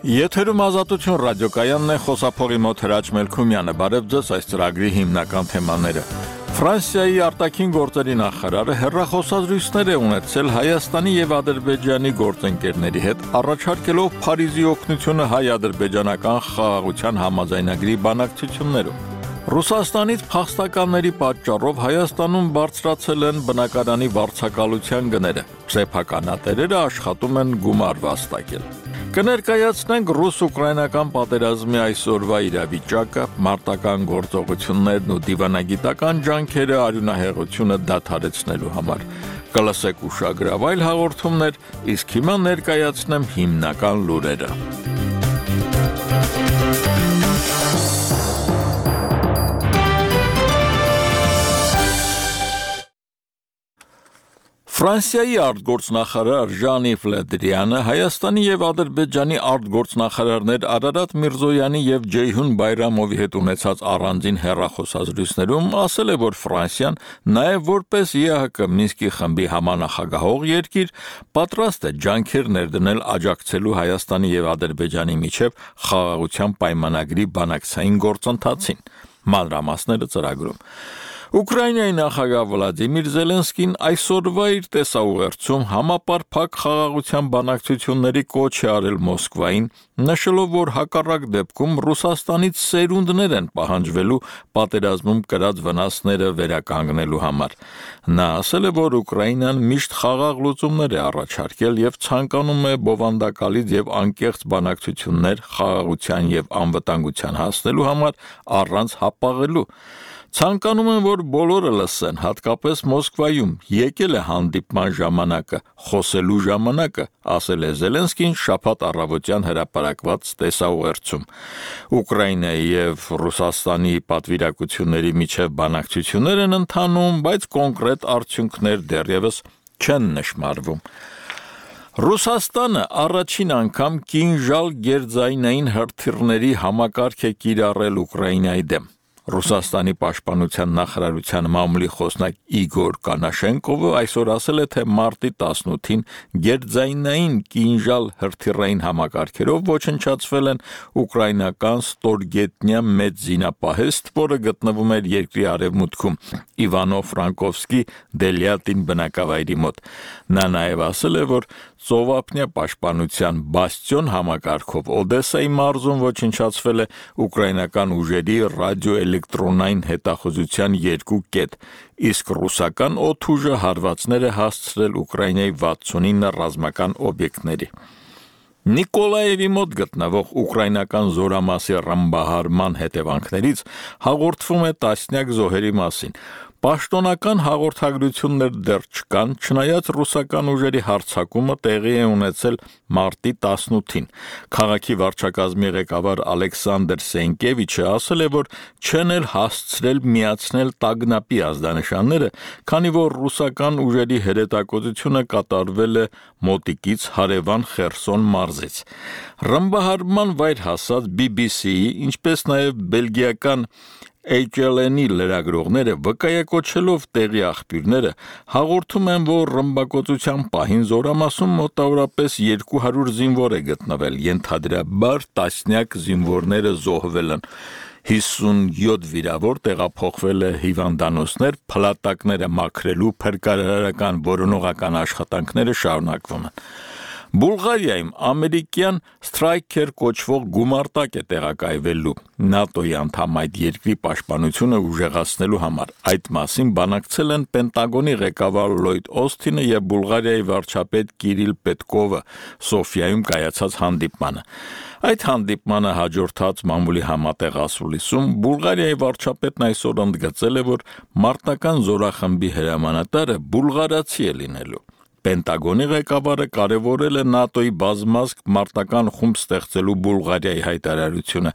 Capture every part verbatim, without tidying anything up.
Եթերում Ազատություն ռադիոկայանն է, խոսափողի մոտ Հրաչ Մելքումյանը, բարև ձեզ, այս ծրագրի հիմնական թեմաները։ Ֆրանսիայի արտաքին գործերի նախարարը հեռախոսազրույցներ է ունեցել Հայաստանի եւ Ադրբեջանի գործընկերների հետ, առաջարկելով Փարիզի օգնությունը հայ-ադրբեջանական խաղաղության համաձայնագրի բանակցություններում։ Ռուսաստանից փախստականների պատճառով Հայաստանում բարձրացել են բնակարանի վարձակալության գները։ Սեփականատերերը աշխատում են գումար վաստակել։ Կներկայացնենք ռուս-ուկրաինական պատերազմի այսօրվա իրավիճակը, մարտական գործողություններն ու դիվանագիտական ջանքերը արյունահեղությունը դադարեցնելու համար։ Կլսեք ուշագրավ այլ հաղորդումներ, իսկ հիմա ներկայացնեմ հիմնական լուրերը։ Ֆրանսիայի արտգործնախարար Ժան-Իվ Լե Դրիանը Հայաստանի եւ Ադրբեջանի արտգործնախարարներ Արարատ Միրզոյանի եւ Ջեյհուն Բայրամովի հետ ունեցած առանձին հեռախոսազրույցներում ասել է, որ Ֆրանսիան նաեւ որպես ԵԱՀԿ Մինսկի խմբի համանախագահող երկիր պատրաստ է ջանքեր ներդնել աջակցելու Հայաստանի եւ Ադրբեջանի միջև խաղաղության պայմանագրի բանակցային գործընթացին։ Մանրամասները ծրագրում։ Ուկրաինայի նախագահ Վլադիմիր Զելենսկին այսօրվա իր տեսաուղերձում համապարփակ խաղաղության բանակցությունների կոչ է արել Մոսկվային, նշելով, որ հակառակ դեպքում Ռուսաստանից սերունդներ են պահանջվելու պատերազմում կրած վնասները վերականգնելու համար։ Նա ասել է, որ Ուկրաինան միշտ խաղաղ լուծումներ է առաջարկել եւ ցանկանում է բովանդակալից եւ անկեղծ բանակցություններ խաղաղության եւ անվտանգության հասնելու համար առանց հապաղելու։ Ցանկանում են, որ բոլորը լսեն, հատկապես Մոսկվայում, եկել է հանդիպման ժամանակը, խոսելու ժամանակը, ասել է Զելենսկին շաբաթ առավոտյան հրապարակված տեսաուղերձում։ Ուկրաինայի եւ Ռուսաստանի պատվիրակությունների միջև բանակցություններ են ընթանում, բայց կոնկրետ արդյունքներ դեռևս չեն նշմարվում։ Ռուսաստանը առաջին անգամ կինժալ գերձայնային հրթիռների համակարգ է կիրառել Ուկրաինայի դեմ։ Ռուսաստանի պաշտպանության նախարարության մամուլի խոսնակ Իգոր Կանաշենկովը այսօր ասել է, թե մարտի տասնութին գերձայնային կինժալ հրթիռային համակարգերով ոչնչացվել են ուկրաինական ստորգետնյա մեծ զինապահեստ, որը գտնվում էր երկրի արևմուտքում Իվանո-Ֆրանկովսկի Դելյատին բնակավայրի մոտ։ Նա նաև ասել է, որ ծովափնյա պաշտպանության բաստիոն համակարգով Օդեսայի մարզում ոչնչացվել է ուկրաինական ուժերի ռադիոէլեկտրոնային հետախուզության երկու կետ, իսկ ռուսական օդուժը հարվածներ է հասցրել Ուկրաինայի վաթսունինը ռազմական օբյեկտների։ Նիկոլաևի մոտ գտնվող ուկրաինական զորամասի ռմբահարման հետևանքներից հաղորդվում է տասնյակ զոհերի մասին։ Պաշտոնական հաղորդագրություններ դեռ չկան, չնայած ռուսական ուժերի հարձակումը տեղի է ունեցել մարտի տասնութին։ Քաղաքի վարչակազմի ղեկավար Ալեքսանդր Սենկևիչը ասել է, որ չեն էլ հասցրել միացնել տագնապի ազդանշանները, քանի որ ռուսական ուժերի հրետակոծությունը կատարվել է մոտիկից հարևան Խերսոն մարզից։ Ռմբահարման վայր հասած բի բի սի-ի, ինչպես նաև բելգիական Էյչ Էլ Են-ի լրագրողները վկայակոչելով տեղի աղբյուրները հաղորդում են, որ ռմբակոծության պահին զորամասում մոտավորապես երկու հարյուր զինվոր է գտնվել, ենթադրաբար տասնյակ զինվորները զոհվել են։ հիսունյոթ վիրավոր տեղափոխվել է հիվանդանոցներ, փլատակները մաքրելու փրկարարական որոնողական աշխատանքները շարունակվում են։ Բուլղարիայում ամերիկյան Սթրայքեր կոչվող գումարտակ է տեղակայվելու ՆԱՏՕ-ի անդամ այդ երկրի պաշտպանությունը ուժեղացնելու համար։ Այդ մասին բանակցել են Պենտագոնի ղեկավար Լոյդ Օսթինը եւ Բուլղարիայի վարչապետ Կիրիլ Պետկովը Սոֆիայում կայացած հանդիպմանը։ Այդ հանդիպմանը հաջորդած մամուլի համատեղ ասուլիսում Բուլղարիայի վարչապետն այսօր ընդգծել է, որ մարտական զորախմբի հրամանատարը բուլղարացի է լինելու։ Պենտագոնի ղեկավարը կարևորել է ՆԱՏՕ-ի բազմազգ մարտական խումբ ստեղծելու Բուլղարիայի հայտարարությունը։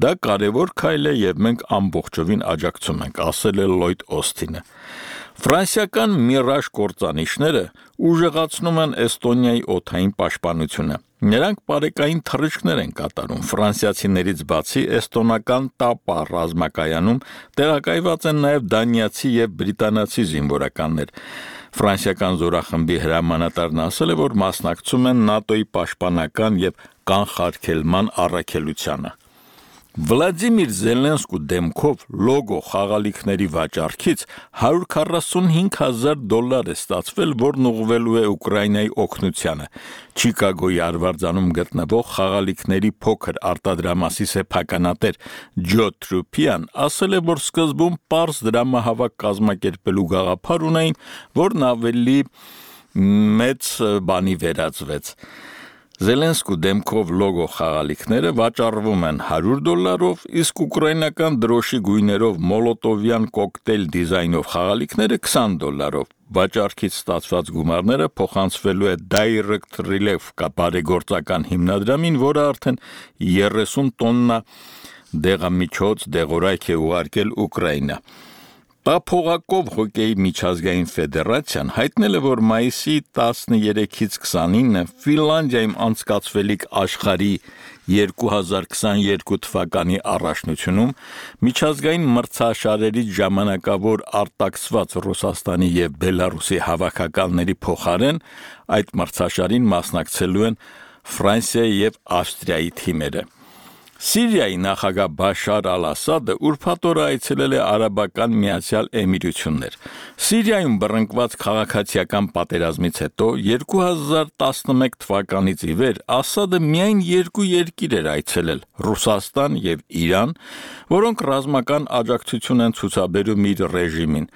Դա կարևոր քայլ է եւ մենք ամբողջովին աջակցում ենք, ասել է Լոյդ Օսթինը։ Ֆրանսիական Միրաժ կործանիչները ուժեղացնում են Էստոնիայի օդային պաշտպանությունը։ Նրանք բարեկային թռիչքներ են կատարում։ Ֆրանսիացիներից բացի էստոնական Տապա ռազմակայանում տեղակայված են նաև դանիացի եւ բրիտանացի զինվորականներ։ Ֆրանսիական զորախմբի հրամանատարն ասել է, որ մասնակցում են ՆԱՏՕ-ի պաշտպանական եւ կանխարգելման առաքելությանը։ Վլադիմիր Զելենսկու դեմքով լոգո խաղալիքների վաճառքից հարյուր քառասունհինգ հազար դոլար է ստացվել, որն ուղղվելու է Ուկրաինայի օգնությանը։ Չիկագոյի արվարձանում գտնվող խաղալիքների փոքր արտադրամասի սեփականատեր Ջո Թրուփյան ասել է, որ սկզբում պարզ դրամահավաք կազմակերպելու գաղափար ունեին, որն ավելի մեծ բանի վերածվեց։ Զելենսկու դեմքով լոգո խաղալիքները վաճառվում են հարյուր դոլարով, իսկ ուկրաինական դրոշի գույներով մոլոտովյան կոկտեյլ դիզայնով խաղալիքները քսան դոլարով։ Վաճառքից ստացված գումարները փոխանցվելու է Direct Relief բարեգործական հիմնադրամին, որը արդեն երեսուն տոննա դեղամիջոց դեղորայք է ուղարկել Ուկրաինա։ Տափողակով հոկեյի միջազգային ֆեդերացիան հայտնել է, որ մայիսի տասներեքից քսանինը Ֆինլանդիայում անցկացվելիք աշխարհի երկու հազար քսաներկու թվականի առաջնությունում միջազգային մրցաշարերից ժամանակավոր արտաքսված Ռուսաստանի եւ Բելարուսի հավաքականների փոխարեն այդ մրցաշարին մասնակցելու են Ֆրանսիայի եւ Ավստրիայի թիմերը։ Սիրիայի նախագահ Բաշար Ալ-Ասադը ուրբաթ օրը այցելել է Արաբական Միացյալ Էմիրություններ։ Սիրիայում բռնկված քաղաքացիական պատերազմից հետո երկու հազար տասնմեկ թվականից ի վեր Ասադը միայն երկու երկիր էր այցելել՝ Ռուսաստան եւ Իրան, որոնք ռազմական աջակցություն են ցուցաբերում իր ռեժիմին։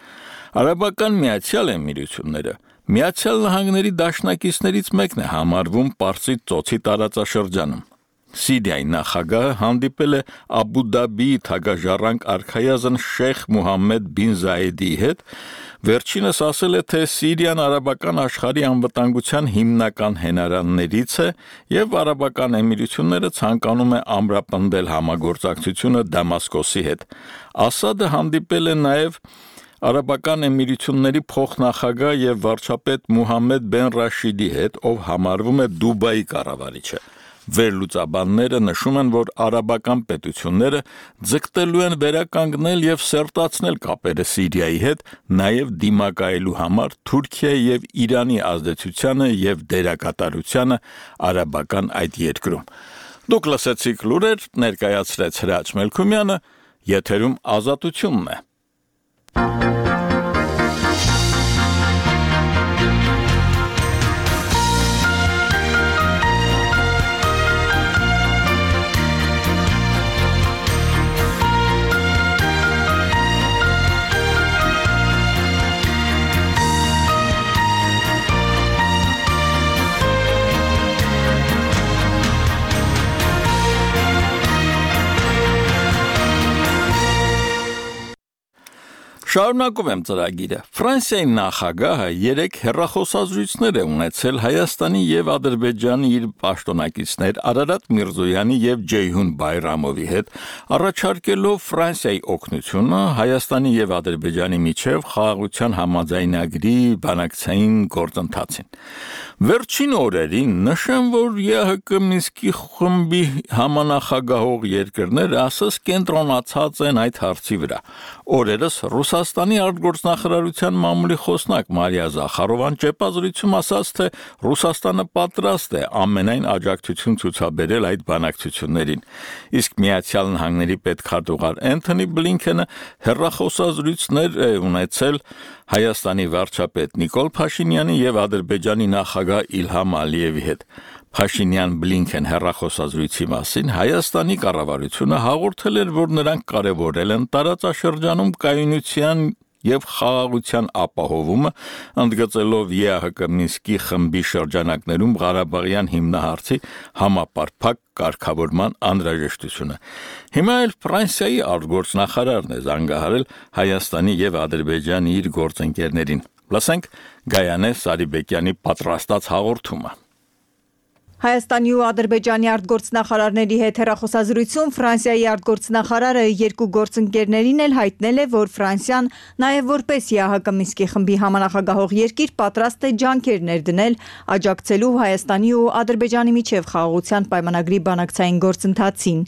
Արաբական Միացյալ Էմիրությունները Միացյալ Նահանգների դաշնակիցներից մեկն է համարվում Պարսից ծոցի տարածաշրջանում։ Սիրիայի նախագահը հանդիպել է Աբու Դաբիի թագաժառանգ արքայազն Շեյխ Մուհամմեդ բին Զայեդիի հետ, վերջինս ասել է, թե Սիրիան արաբական աշխարհի անվտանգության հիմնական հենարաններից է եւ Արաբական Էմիրությունները ցանկանում է ամրապնդել համագործակցությունը Դամասկոսի հետ։ Ասադը հանդիպել է նաեւ Արաբական Էմիրությունների փոխնախագահ եւ վարչապետ Մուհամմեդ բեն Ռաշիդի հետ, ով համարվում է Դուբայի կառավարիչը։ Վերլուծաբանները նշում են, որ արաբական պետությունները ձգտելու են վերականգնել եւ սերտացնել կապերը Սիրիայի հետ, նաեւ դիմակայելու համար Թուրքիայի եւ Իրանի ազդեցությանը եւ դերակատարությանը արաբական այդ երկրում։ Դուք լսեցիք լուրեր, ներկայացրեց Հրաչ Մելքումյանը, եթերում Ազատությունն է։ Շարունակում եմ ծրագիրը։ Ֆրանսիայի նախագահը երեք հեռախոսազրույցներ է ունեցել Հայաստանի եւ Ադրբեջանի իր պաշտոնակիցներ Արարատ Միրզոյանի եւ Ջեյհուն Բայրամովի հետ, առաջարկելով Ֆրանսիայի օգնությունը Հայաստանի եւ Ադրբեջանի միջև խաղաղության համաձայնագրի բանակցային գործընթացին։ Վերջին օրերին նշեմ, որ ԵՀԿ Մինսկի խմբի համանախագահող երկրները ասես կենտրոնացած են այդ հարցի վրա։ Օրերս Ռուսաստանի արտգործնախարարության մամուլի խոսնակ Մարիա Զախարովան ճեպազրույցում ասաց, թե Ռուսաստանը պատրաստ է ամենայն աջակցություն ցուցաբերել այդ բանակցություններին։ Իսկ Միացյալ Նահանգների պետքարտուղար Էնթոնի Բլինքենը հեռախոսազրույցներ է ունեցել Հայաստանի վարչապետ Նիկոլ Փաշինյանի եւ Ադրբեջանի նախագահ Իլհամ Ալիևի հետ։ Փաշինյան-Բլինքեն հեռախոսազրույցի մասին Հայաստանի կառավարությունը հաղորդել էր, որ նրանք կարևորել են տարածաշրջանում կայունության եւ խաղաղության ապահովումը, ընդգծելով ԵԱՀԿ Մինսկի խմբի շրջանակներում Ղարաբաղյան հիմնահարցի համապարփակ կարգավորման անհրաժեշտությունը։ Հիմա էլ Ֆրանսիայի արտգործնախարարն է զանգահարել Հայաստանի եւ Ադրբեջանի իր գործընկերներին։ Լսենք Գայանե Սարիբեկյանի պատրաստած հաղորդումը։ Հայաստանի ու Ադրբեջանի արտգործնախարարների հետ հեռախոսազրույցում Ֆրանսիայի արտգործնախարարը երկու գործընկերներին էլ հայտնել է, որ Ֆրանսիան նաև որպես ԵԱՀԿ Մինսկի խմբի համանախագահող երկիր պատրաստ է ջանքեր ներդնել աջակցելու Հայաստանի ու Ադրբեջանի միջև խաղաղության պայմանագրի բանակցային գործընթացին։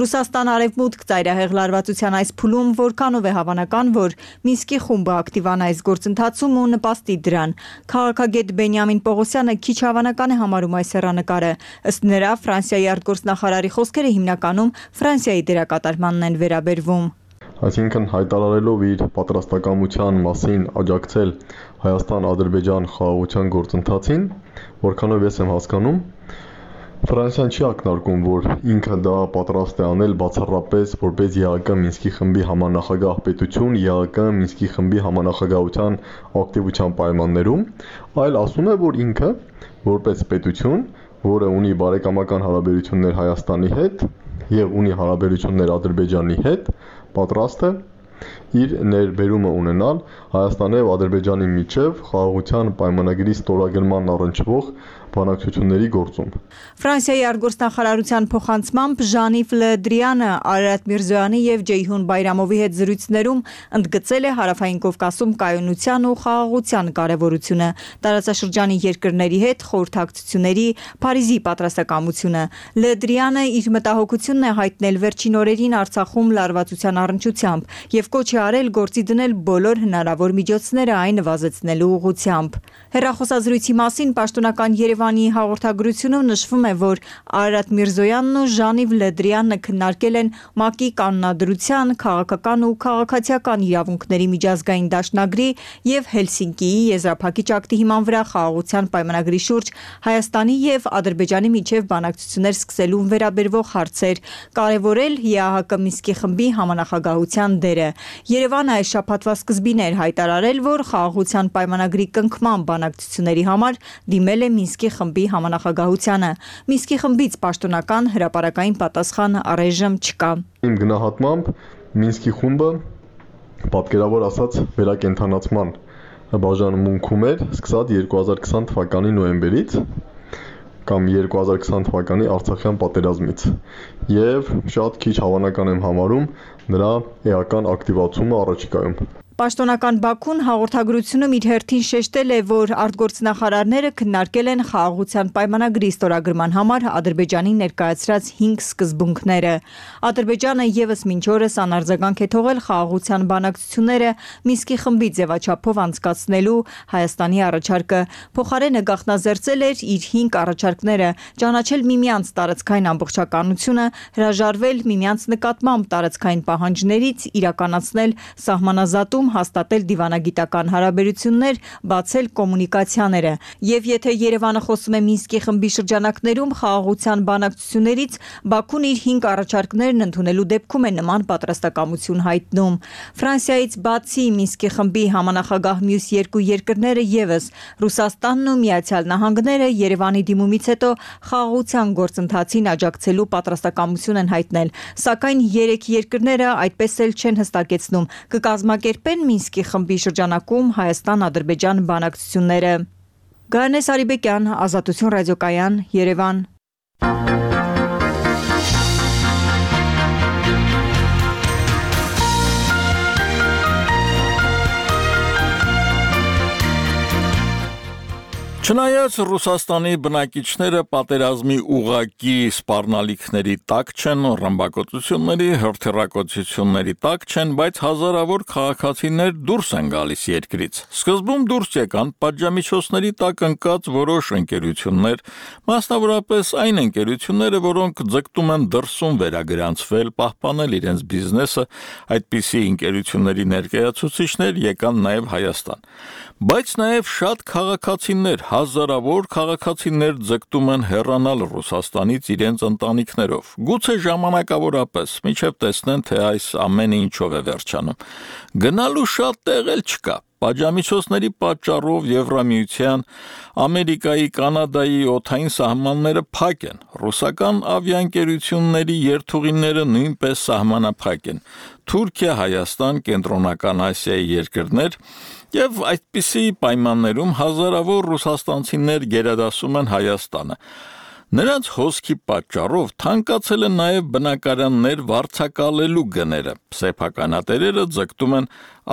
Ռուսաստան արևմուտք ծայրահեղ լարվածության այս փուլում որքանով է հավանական, որ Մինսկի խումբը ակտիվանա այս գործընթացում ու նպաստի դրան։ Քաղաքագետ Բենյամին Պողոսյանը քիչ հավանական է համարում այս հեռանկար տարը։ Ըստ նրա, Ֆրանսիայի արտգործնախարարի խոսքերը հիմնականում Ֆրանսիայի դերակատարմանն են վերաբերվում։ Այսինքն հայտարարելով իր պատրաստակամության մասին աջակցել Հայաստան-Ադրբեջան խաղաղության գործընթացին, որքանով ես եմ հասկանում, Ֆրանսիան չի ակնարկում, որ ինքը դա պատրաստ է անել բացառապես որպես ԵԱՀԿ Մինսկի խմբի համանախագահ պետություն ԵԱՀԿ Մինսկի խմբի համանախագահության ակտիվության պայմաններում, այլ ասում է, որ ինքը որպես պետություն, որը ունի բարեկամական հարաբերություններ Հայաստանի հետ եւ ունի հարաբերություններ Ադրբեջանի հետ, պատրաստ է իր ներբերումը ունենալ Հայաստանի եւ Ադրբեջանի միջև խաղաղության պայմանագրի ստորագրման առնչվող բանակցությունների գործում։ Ֆրանսիայի արտգործնախարարության փոխանցմամբ Ժան-Իվ Լը Դրիանը Արարատ Միրզոյանի եւ Ջեյհուն Բայրամովի հետ զրույցներում ընդգծել է Հարավային Կովկասում կայունության ու խաղաղության կարեւորությունը, տարածաշրջանի երկրների հետ խորհրդակցությունների Փարիզի պատրաստակամությունը։ Լը Դրիանը իր մտահոգությունն է հայտնել վերջին օրերին Արցախում լարվածության առնչությամբ եւ կոչ է արել գործի դնել բոլոր հնարավոր միջոցները այն նվազեցնելու ուղղությամբ։ Հեռախոսազրույցի մասին պաշտոնական Երևանի հաղորդագրությունում նշվում է, որ Արարատ Միրզոյանն ու Ժան-Իվ Լը Դրիանը քննարկել են ՄԱԿ-ի կանոնադրության, քաղաքական ու քաղաքացիական իրավունքների միջազգային դաշնագրի եւ Հելսինկիի եզրափակիչ ակտի հիման վրա խաղաղության պայմանագրի շուրջ Հայաստանի եւ Ադրբեջանի միջև բանակցություններ սկսելուն վերաբերող հարցեր, կարևորել ԵԱՀԿ Մինսկի խմբի համանախագահության դերը։ Երևանը այս շաբաթվա սկզբին էր հայտարարել, որ խաղաղության պայմանագրի կնքման բանակցությունների համար դիմել է Մինսկի խմբի համանախագահությանը։ Մինսկի խմբից պաշտոնական հրապարակային պատասխան առայժմ չկա։ Իմ գնահատմամբ Մինսկի խումբը պատկերավոր ասած վերակենդանացման բաժանմունքում էր սկսած երկու հազար քսան թվականի նոյեմբերից կամ երկու հազար քսան թվականի Արցախյան պատերազմից եւ շատ քիչ հավանական եմ համարում նրա էական ակտիվացումը առաջիկայում։ Պաշտոնական Բաքուն հաղորդագրությունում իր հերթին շեշտել է, որ արտգործնախարարները քննարկել են խաղաղության պայմանագրի ստորագրման համար Ադրբեջանի ներկայացրած հինգ սկզբունքները։ Ադրբեջանը եւս մինչ օրս անարձագանք է թողել խաղաղության բանակցությունները Մինսկի խմբի ձևաչափով անցկացնելու Հայաստանի առաջարկը։ Փոխարենը գաղտնազերծել էր իր հինգ առաջարկները՝ ճանաչել միմյանց տարածքային ամբողջականությունը, հրաժարվել միմյանց նկատմամբ տարածքային պահանջներից, իրականացնել սահմանազատում, հաստատել դիվանագիտական հարաբերություններ, բացել կոմունիկացիաները։ Եվ եթե Երևանը խոսում է Մինսկի խմբի շրջանակներում խաղաղության բանակցություններից, Բաքուն իր հինգ առաջարկներն ընդունելու դեպքում է նման պատրաստակամություն հայտնում։ Ֆրանսիայից բացի Մինսկի խմբի համանախագահ մյուս երկու երկրները եւս Ռուսաստանն ու Միացյալ Նահանգները Երևանի դիմումից հետո խաղաղության գործընթացին աջակցելու պատրաստակամություն են հայտնել, սակայն երեք երկրները այդպես էլ չեն հստակեցնում կկազմակերպեն Մինսկի խմբի շրջանակում Հայաստան-Ադրբեջան բանակցությունները։ Գայանե Սարիբեկյան, Ազատություն ռադիոկայան, Երևան։ Չնայած Ռուսաստանի բնակիչները պատերազմի ուղղակի սպառնալիքների տակ չեն, ռմբակոծությունների, հրթիռակոծությունների տակ չեն, բայց հազարավոր քաղաքացիներ դուրս են գալիս երկրից։ Սկզբում դուրս եկան պատժամիջոցների տակ ընկած որոշ ընկերություններ, մասնավորապես այն ընկերությունները, որոնք ձգտում են դրսում վերագրանցվել, պահպանել իրենց բիզնեսը, այդպիսի ընկերությունների ներկայացուցիչներ եկան նաև Հայաստան։ Բայց նաև շատ քաղաքացիներ, հազարավոր քաղաքացիներ ձգտում են հեռանալ Ռուսաստանից իրենց ընտանիքներով, գուցե ժամանակավորապես, մինչև տեսնեն, թե այս ամենը ինչով է վերջանում։ Գնալու շատ տեղ էլ չկա։ Պատժամիջոցների պատճառով Եվրամիության, Ամերիկայի, Կանադայի օդային սահմանները փակ են։ Ռուսական ավիաընկերությունների երթուղիները նույնպես սահմանափակ են։ Թուրքիա, Հայաստան, Կենտրոնական Ասիայի երկրներ եւ այդպիսի պայմաններում հազարավոր ռուսաստանցիներ գերադասում են Հայաստանը։ Նրանց հոսքի պատճառով թանկացել են նաև բնակարաններ վարձակալելու գները։ Սեփականատերերը ձգտում են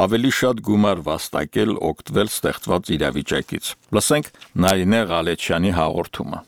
ավելի շատ գումար վաստակել, օգտվել ստեղծված իրավիճակից։ Լսենք Նարինե Ղալեչյանի հաղորդումը։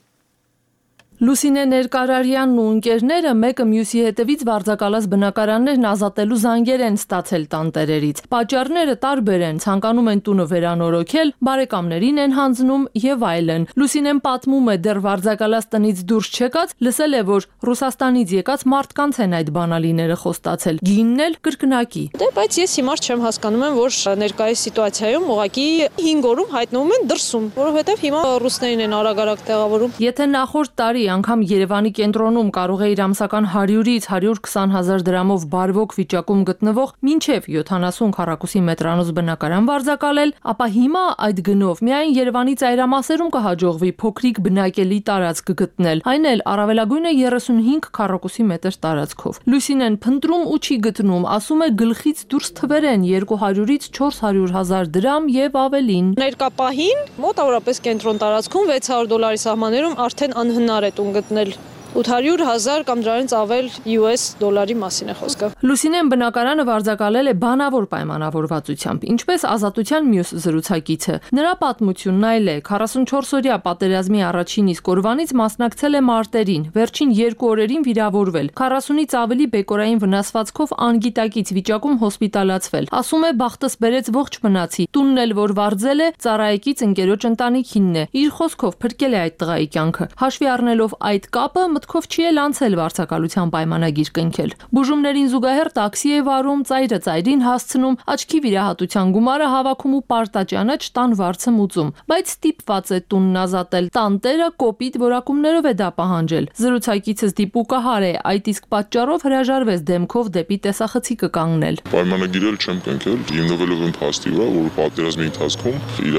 Լուսինե Ներկարարյանն ու ընկերները մեկը մյուսի հետևից վարձակալած բնակարաններն ազատելու զանգեր են ստացել տանտերերից։ Պատճառները տարբեր են, ցանկանում են տունը վերանորոգել, բարեկամներին են հանձնում եւ այլն։ Լուսինեն պատմում է, դեռ վարձակալած տնից դուրս չեկած, լսել է, որ Ռուսաստանից եկած մարդկանց են այդ բանալիները խոստացել։ Գինն էլ կրկնակի։ Դե բայց ես հիմա չեմ հասկանում եմ, որ ներկայիս սիտուացիայում ուղղակի հինգ օրում հայտնվում են դրսում, որովհետեւ հիմա ռուսներին են արագ-արագ տեղավորում։ Եթե նախորդ տարի անգամ Երևանի կենտրոնում կարող է իր ամսական հարյուրից հարյուր քսան հազար դրամով բարվոք վիճակում գտնվող մինչև յոթանասուն քառակուսի մետրանոց բնակարան վարձակալել, ապա հիմա այդ գնով միայն Երևանի ծայրամասերում կհաջողվի փոքրիկ բնակելի տարածք գտնել, այն էլ առավելագույնը երեսունհինգ քառակուսի մետր տարածքով։ Լուսինեն փնտրում ու չի գտնում, ասում է գլխից դուրս թվեր են երկու հարյուրից չորս հարյուր հազար դրամ եւ ավելին։ Ներկա պահին մոտավորապես կենտրոն տարածքում վեց հարյուր դոլարի սահմաններում արդեն անհնար է տուն գտնել։ ութ հարյուր հազար կամ դրանից ավել յու էս դոլարի մասին է խոսքը։ Լուսինեն բնակարանը վարձակալել է բանավոր պայմանավորվածությամբ, ինչպես Ազատության մյուս զրուցակիցը։ Նրա պատմությունն այլ է։ քառասունչորսօրյա պատերազմի առաջին իսկ օրվանից մասնակցել է մարտերին, վերջին երկու օրերին վիրավորվել, քառասունից ավելի բեկորային վնասվածքով անգիտակից վիճակում հոսպիտալացվել։ Ասում է, բախտս բերեց ողջ մնացի, տունն էլ որ վարձել է, ծառայեկից ընկերոջ ընտանիքինն է։ Իր խոսքով փրկել է այդ տղայի կյանքը։ Հաշվի առնելով այդ կապը, մտքով չի էլ անցել վարձակալության պայմանագիր կնքել։ Բուժումներին զուգահեռ տաքսի է վարում, ծայրը ծայրին հասցնում, աչքի վիրահատության գումարը հավաքում ու պարտաճանաչ տան վարձը մուծում, բայց ստիպված է տունն ազատել։ Տանտերը կոպիտ որակումներով է դա պահանջել։ Զրուցակիցս դիպուկահար է, այդ իսկ պատճառով հրաժարվեց դեմքով դեպի տեսախցիկը կանգնել։ Պայմանագիրել չեմ կնքել, հիմնվելով այն փաստի վրա, որ պատերազմի ընթացքում իր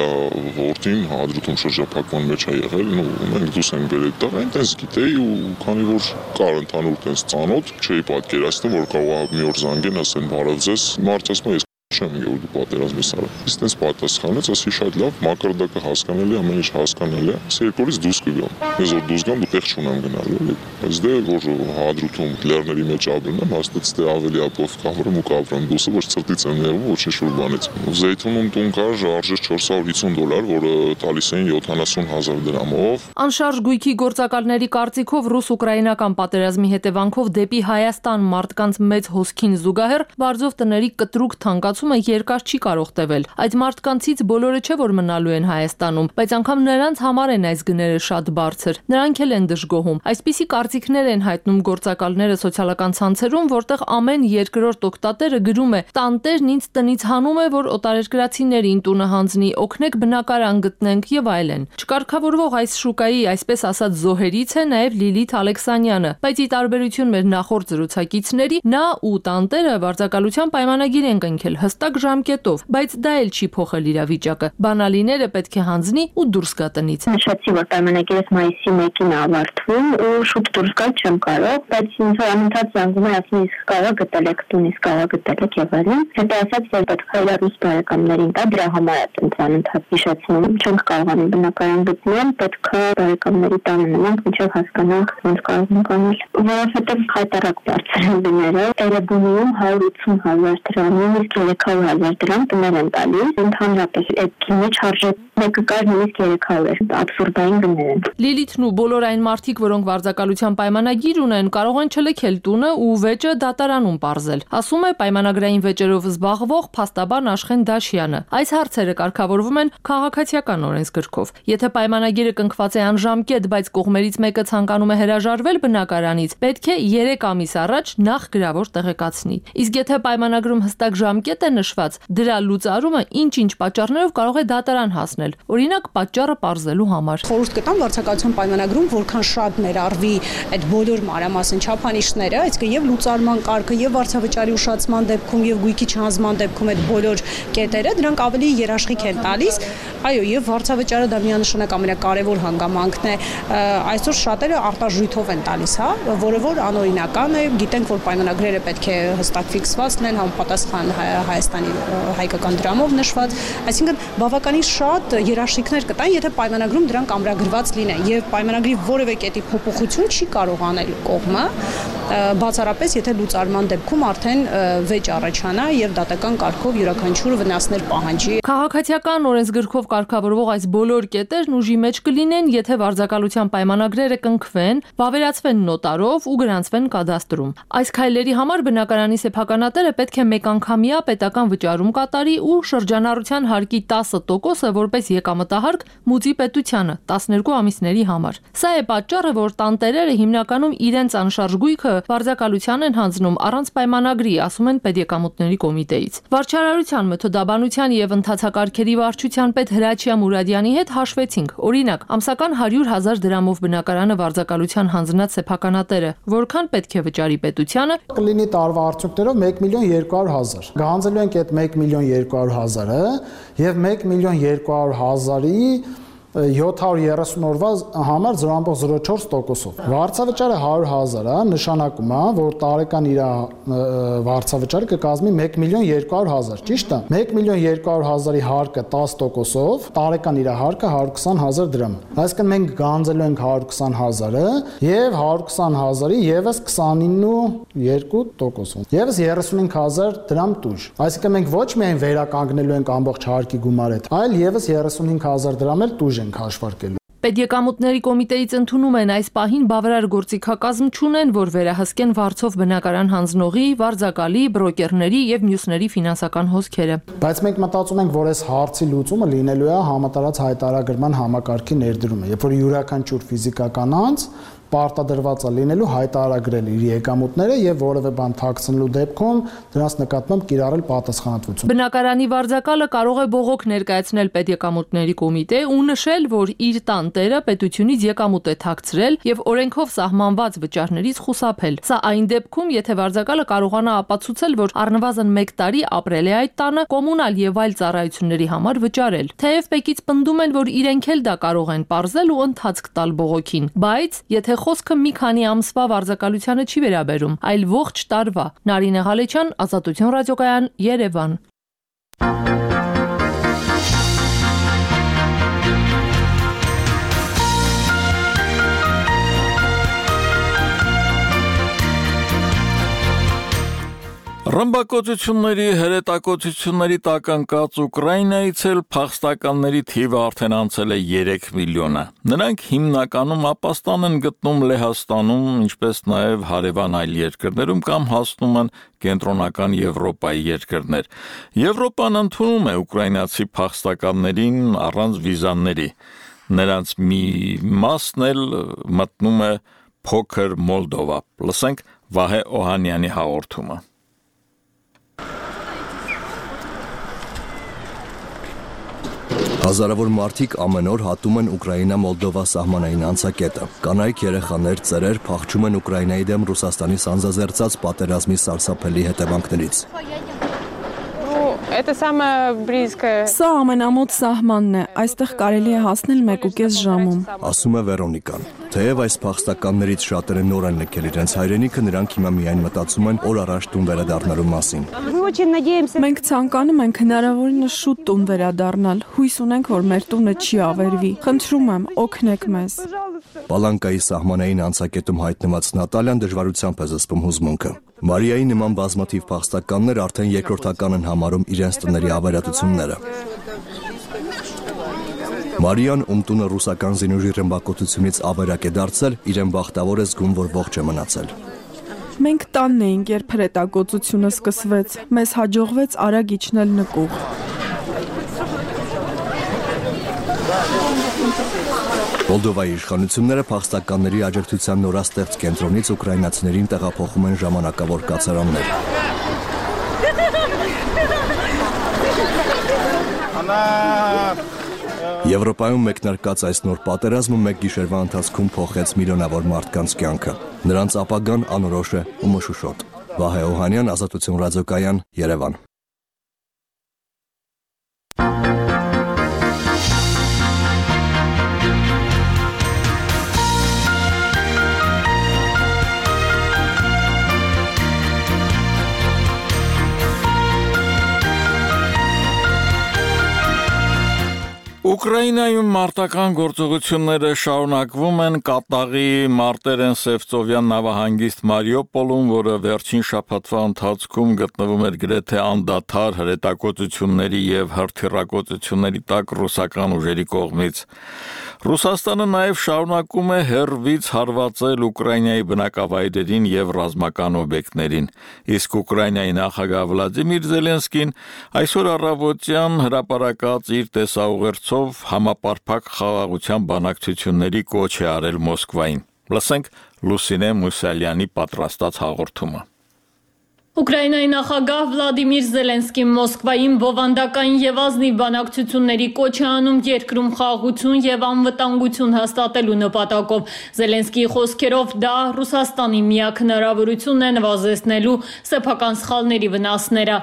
որդին հադրութում շրջափակման մեջ է եղել, ու մենք դուրս ենք բերել տղա, այնտես գիտեի ու քանի որ կար ընդհանուր տես ծանոթ, չէի պատկերացնում, որ կարող է մի օր զանգեն, ասեն բարև ձեզ, մարդ ասում է, ես չեմ եկել դու պատերազմի սարը։ Իսկ տես պատասխանեց, ասի շատ լավ, մակարդակը հասկանալի, ամեն ինչ հասկանալի է, ես երկրորից դուրս կգամ։ Ես որ դուրս գամ, դու տեղ չունեմ գնալու, բայց դե որ հադրութում լեռների մեջ ապրում եմ, հաստատ դե ավելի ապով կավրեմ ու կավրեմ դուսը, ոչ ծրտից եմ ներվում, ոչինչ որ բանից։ Զեյթունում տուն կար, արժեր չորս հարյուր հիսուն դոլար, որը տալիս էին յոթանասուն հազար դրամով։ Անշարժ գույքի գործակալների կարծիքով ռուս-ուկրաինական պատերազմի հետևանքով դեպի Հայաստան մարդկանց մեծ հոսքին զուգահեռ բարձով տների կտրուկ թանկացումը երկար չի կարող տևել։ Այդ մարդկանցից բոլորը չէ որ մնալու են Հայաստանում, բայց անգամ նրանց համար են այս գները շատ բարձր։ Նրանք էլ են դժգոհում։ Այսպիսի կարծիքներ են հայտնում գործակալները սոցիալական ցանցերում, որտեղ ամեն երկրորդ օգտատերը գրում է. «Տանտերն ինձ տնից հանում է, որ օտարերկրացիներին տունը հանձնի, օգնեք բնակարան գտնենք» եւ այլն։ Չկարգավորվող այս շուկայի, այսպես ասած, զոհերից է նաեւ Լիլիթ Ալեքսանյանը, բայց ի տարբերություն մեր նախորդ զրուցակիցների, նա ու տանտերը վարձակալության պայմանագիր են կնքել հստակ ժամկետով, բայց դա էլ չի փոխել իրավիճակը։ Բանալիները պետք է հանձնի ու դուրս գա տնից։ Նշեցի, որ պայմանագիրս մայիսի մեկին է ավարտվում ու շուտ դուրս գալ չեմ կարող, բայց ինձ անընդհատ զանգում է, ասում իսկ կարա գտել եք տուն, իսկ կարա գտել եք եւ այլն։ Հետո ասաց, որ պետք է ռուս բարեկամներին տա, դրա համար է ինձ անընդհատ հիշեցնում, չենք կարողանում բնակարան գտնել, պետք է բարեկամների տանը մնանք, մինչեւ հասկանանք ոնց կարող ենք անել, որովհետեւ խայտարակ բարձր են դները, Էրեբունիում հարյուր ութսուն հազար դրամ, նույնիսկ երեք հարյուր հազար դրամ տներ են տալիս, ընդհանրապես այդ մեջ արժե մեկը կար նույնիսկ երեք հարյուր, աբսուրդային գներ են։ Լիլիթն ու բոլոր այն մարդիկ, որոնք վարձակալության պայմանագիր ունեն, կարող են չլքել տունը ու վեճը դատարանում պարզել։ Ասում է պայմանագրային վեճերով զբաղվող փաստաբան Աշխեն Դաշյանը։ Այս հարցերը կարգավորվում են քաղաքացիական օրենսգրքով։ Եթե պայմանագիրը կնքված է անժամկետ, բայց կողմերից մեկը ցանկանում է հրաժարվել բնակարանից, պետք է երեք ամիս առաջ նախ գրավոր տեղեկացնի։ Իսկ եթե պայմանագրում հստակ ժամկետ է նշված, դրա լուծարումը ինչ-ինչ պատճառներով կարող է դատարան հասնել։ Օրինակ, պատճառը պարզելու համար։ Խորհուրդ կտամ վարձակալության պայմանագրում որքան շատ ներառվի այդ բոլոր մանրամասն չափանիշները, այսինքն եւ լուծարման կարգը, եւ վարձավճարի ուշացման դեպքում, եւ գույքի չհանձնման դեպքում այդ բոլոր կետերը դրանք ավելի երաշխիք են տալիս։ Այո, եւ վարձավճարը դա միանշանակ ամենակարևոր հանգամանքն է։ Այսօր շատերը արտաժույթով են տալիս, հա, որը որ անօրինական է, գիտենք, որ պայմանագրերը պետք է հստակ ֆիքսված լինեն, համապատասխան Հայաստանի հայկական դրամով նշված, այսինքն բավականին շատ երաշխիքներ կտան, եթե պայմանագրում դրանք ամրագրված լինեն, եւ պայմանագրի որևէ կետի փոփոխություն չի կարող անել կողմը, բացառապես եթե լուծարման դեպքում արդեն վեճ առաջանա եւ դատական կարգով յուրաքանչյուր վնասներ պահանջի։ Քաղաքացիական օրենսգրքով կարգավորվող այս բոլոր կետերն ուժի մեջ կլինեն, եթե վարձակալության պայմանագրերը կնքվեն, վավերացվեն նոտարով ու գրանցվեն կադաստրում։ Այս քայլերի համար բնակարանի սեփականատերը պետք է մեկանգամյա պետական վճարում կատարի ու շրջանառության հարկի տասը տոկոսը որպես եկամտահարկ մուծի պետությանը տասներկու ամիսների համար։ Սա է պատճառը, որ տանտերերը հիմնականում իրենց անշարժ գույքը վարձակալության են հանձնում առանց պայմանագրի, ասում են Պետեկամուտների կոմիտեից։ Վարչարարության մեթոդաբանության եւ ընթացակարգերի վարչության պետ Հրաչյա Մուրադյանի հետ հաշվեցինք։ Օրինակ, ամսական հարյուր հազար դրամով բնակարանը վարձակալության հանձնած սեփականատերը որքան պետք է վճարի պետությանը։ Կլինի տարվա արդյունքներով մեկ միլիոն երկու հարյուր հազար։ Գանձելու ենք այդ մեկ միլիոն երկու հարյուր հազարը եւ մեկ միլիոն երկու հարյուր հազարի յոթ հարյուր երեսուն օրվա համար զրո կόμμα զրո չորս տոկոսով։ Վարձավճարը հարյուր հազար է, նշանակում է, որ տարեկան իր վարձավճարը կկազմի մեկ միլիոն երկու հարյուր հազար, ճիշտ է։ մեկ միլիոն երկու հարյուր հազարի հարկը տասը տոկոսով, տարեկան իր հարկը հարյուր քսան հազար դրամ։ Այսինքն մենք գանձելու ենք հարյուր քսան հազարը եւ հարյուր քսան հազարի եւս քսանինը ու երկու տոկոսով։ Եվս երեսունհինգ հազար դրամ տուժ։ Այսինքն մենք ոչ միայն վերականգնելու ենք ամբողջ հարկի գումարը, այլ եւս երեսունհինգ հազար դրամ էլ տուժ ենք հաշվարկելու։ Պետեկամուտների կոմիտեից ընդունում են այս պահին բավարար գործիքակազմ չունեն, որ վերահսկեն վարձով բնակարան հանձնողի, վարձակալի, բրոկերների եւ մյուսների ֆինանսական հոսքերը։ Բայց մենք մտածում ենք, որ այս հարցի լուծումը լինելու է համատարած հայտարարագրման համակարգի ներդրումը, երբ որ յուրաքանչյուր ֆիզիկական անձ պարտադրված է լինելու հայտարարել իր եկամուտները եւ որևէ բան թաքցնելու դեպքում դրանց նկատմամբ կիրառել պատասխանատվություն։ Բնակարանի վարձակալը կարող է բողոք ներկայացնել Պետեկամուտների կոմիտե ու նշել, որ իր տանտերը պետությունից եկամուտ է թաքցրել եւ օրենքով սահմանված վճարներից խուսափել։ Սա այն դեպքում, եթե վարձակալը կարողանա ապացուցել, որ առնվազն մեկ տարի ապրել է այդ տանը, կոմունալ եւ այլ ծառայությունների համար վճարել։ Թեև Պեկից պնդում են, որ իրենք էլ դա կարող են պարզել ու ընթացք տալ բողոքին, բայց եթե խոսքը մի քանի ամսվա վարձակալությանը չի վերաբերում, այլ ողջ տարվա։ Նարինե Ղալեչյան, Ազատություն ռադիոկայան, Երևան։ Ռմբակոծությունների, հրետակոծությունների տակ ընկած Ուկրաինայից էլ փախստականների թիվը արդեն անցել է երեք միլիոնը։ Նրանք հիմնականում ապաստան են գտնում Լեհաստանում, ինչպես նաև հարևան այլ երկրներում կամ հասնում են կենտրոնական Եվրոպայի երկրներ։ Եվրոպան ընդունում է ուկրաինացի փախստականներին առանց վիզաների։ Նրանց մի մասն էլ մտնում է փոքր Մոլդովա։ Լսենք Վահե Օհանյանի հաղորդումը։ Հազարավոր մարդիկ ամեն օր հատում են Ուկրաինա-Մոլդովա սահմանային անցակետը։ Կանայք, երեխաներ, ծերեր փախչում են Ուկրաինայի դեմ Ռուսաստանի սանձազերծած պատերազմի սարսափելի հետևանքներից։ Սա ամենամոտ սահմանն է, այստեղ կարելի է հասնել մեկուկես ժամում, ասում է Վերոնիկան։ Թեև այս փախստականներից շատերը նոր են լքել իրենց հայրենիքը, նրանք հիմա միայն մտածում են օր առաջ տուն վերադառնալու մասին։ Մենք ցանկանում ենք հնարավորինս շուտ տուն վերադառնալ, հույս ունենք, որ մեր տունը չի ավերվի։ Խնդրում եմ, օգնեք մեզ։ Պալանկայի սահմանային անցակետում հայտնված Նատալյան դժվարությամբ է զսպում հուզմունքը։ Մարիայի նման բազմաթիվ փախստականներ արդեն երկրորդական են համարում իրենց տների ավերածությունները։ Մարիան, ում տունը ռուսական զինուժի ռմբակոծությունից ավերակ է դարձել, իրեն բախտավոր է զգում, որ ողջ է մնացել։ Մենք տանն էինք, երբ հրետակոծությունը սկսվեց, մեզ հաջողվեց արագ իջնել նկուղ։ Մոլդովայի իշխանությունները փախստականների աջակցության նորաստեղծ կենտրոնից ուկրաինացիներին տեղափոխում են ժամանակավոր կացարաններ։ Եվրոպայում մեկնարկած այս նոր պատերազմը մեկ գիշերվա ընթացքում փոխեց միլիոնավոր մարդկանց կյանքը։ Նրանց ապագան անորոշ է ու մշուշոտ։ Վահե Օհանյան, Ազատություն ռադիոկայան, Երևան։ Ուկրաինայում մարտական գործողությունները շարունակվում են Կատաղի Մարտերեն Սևծովյան նավահանգիստ Մարիուպոլում, որը վերջին շաբաթվա ընթացքում գտնվում էր գրեթե անդադար հրետակոծությունների եւ հրթիռակոծությունների տակ ռուսական ուժերի կողմից։ Ռուսաստանը նաև շարունակում է հեռվից հարվածել Ուկրաինայի բնակավայրերին եւ ռազմական օբյեկտներին, իսկ Ուկրաինայի նախագահ Վլադիմիր Զելենսկին այսօր առավոտյան հրապարակած իր տեսաուղերձով համապարփակ խաղաղության բանակցությունների կոչ է արել Մոսկվային։ Լսենք Լուսինե Մուսալյանի պատրաստած հաղորդումը։ Ուկրաինայի նախագահ Վլադիմիր Զելենսկին Մոսկվային բովանդակային եւ ազնիվ բանակցությունների կոչ է անում երկրում խաղաղություն եւ անվտանգություն հաստատելու նպատակով։ Զելենսկիի խոսքերով դա Ռուսաստանի միակ հնարավորությունն է նվազեցնելու սեփական սխալների վնասները։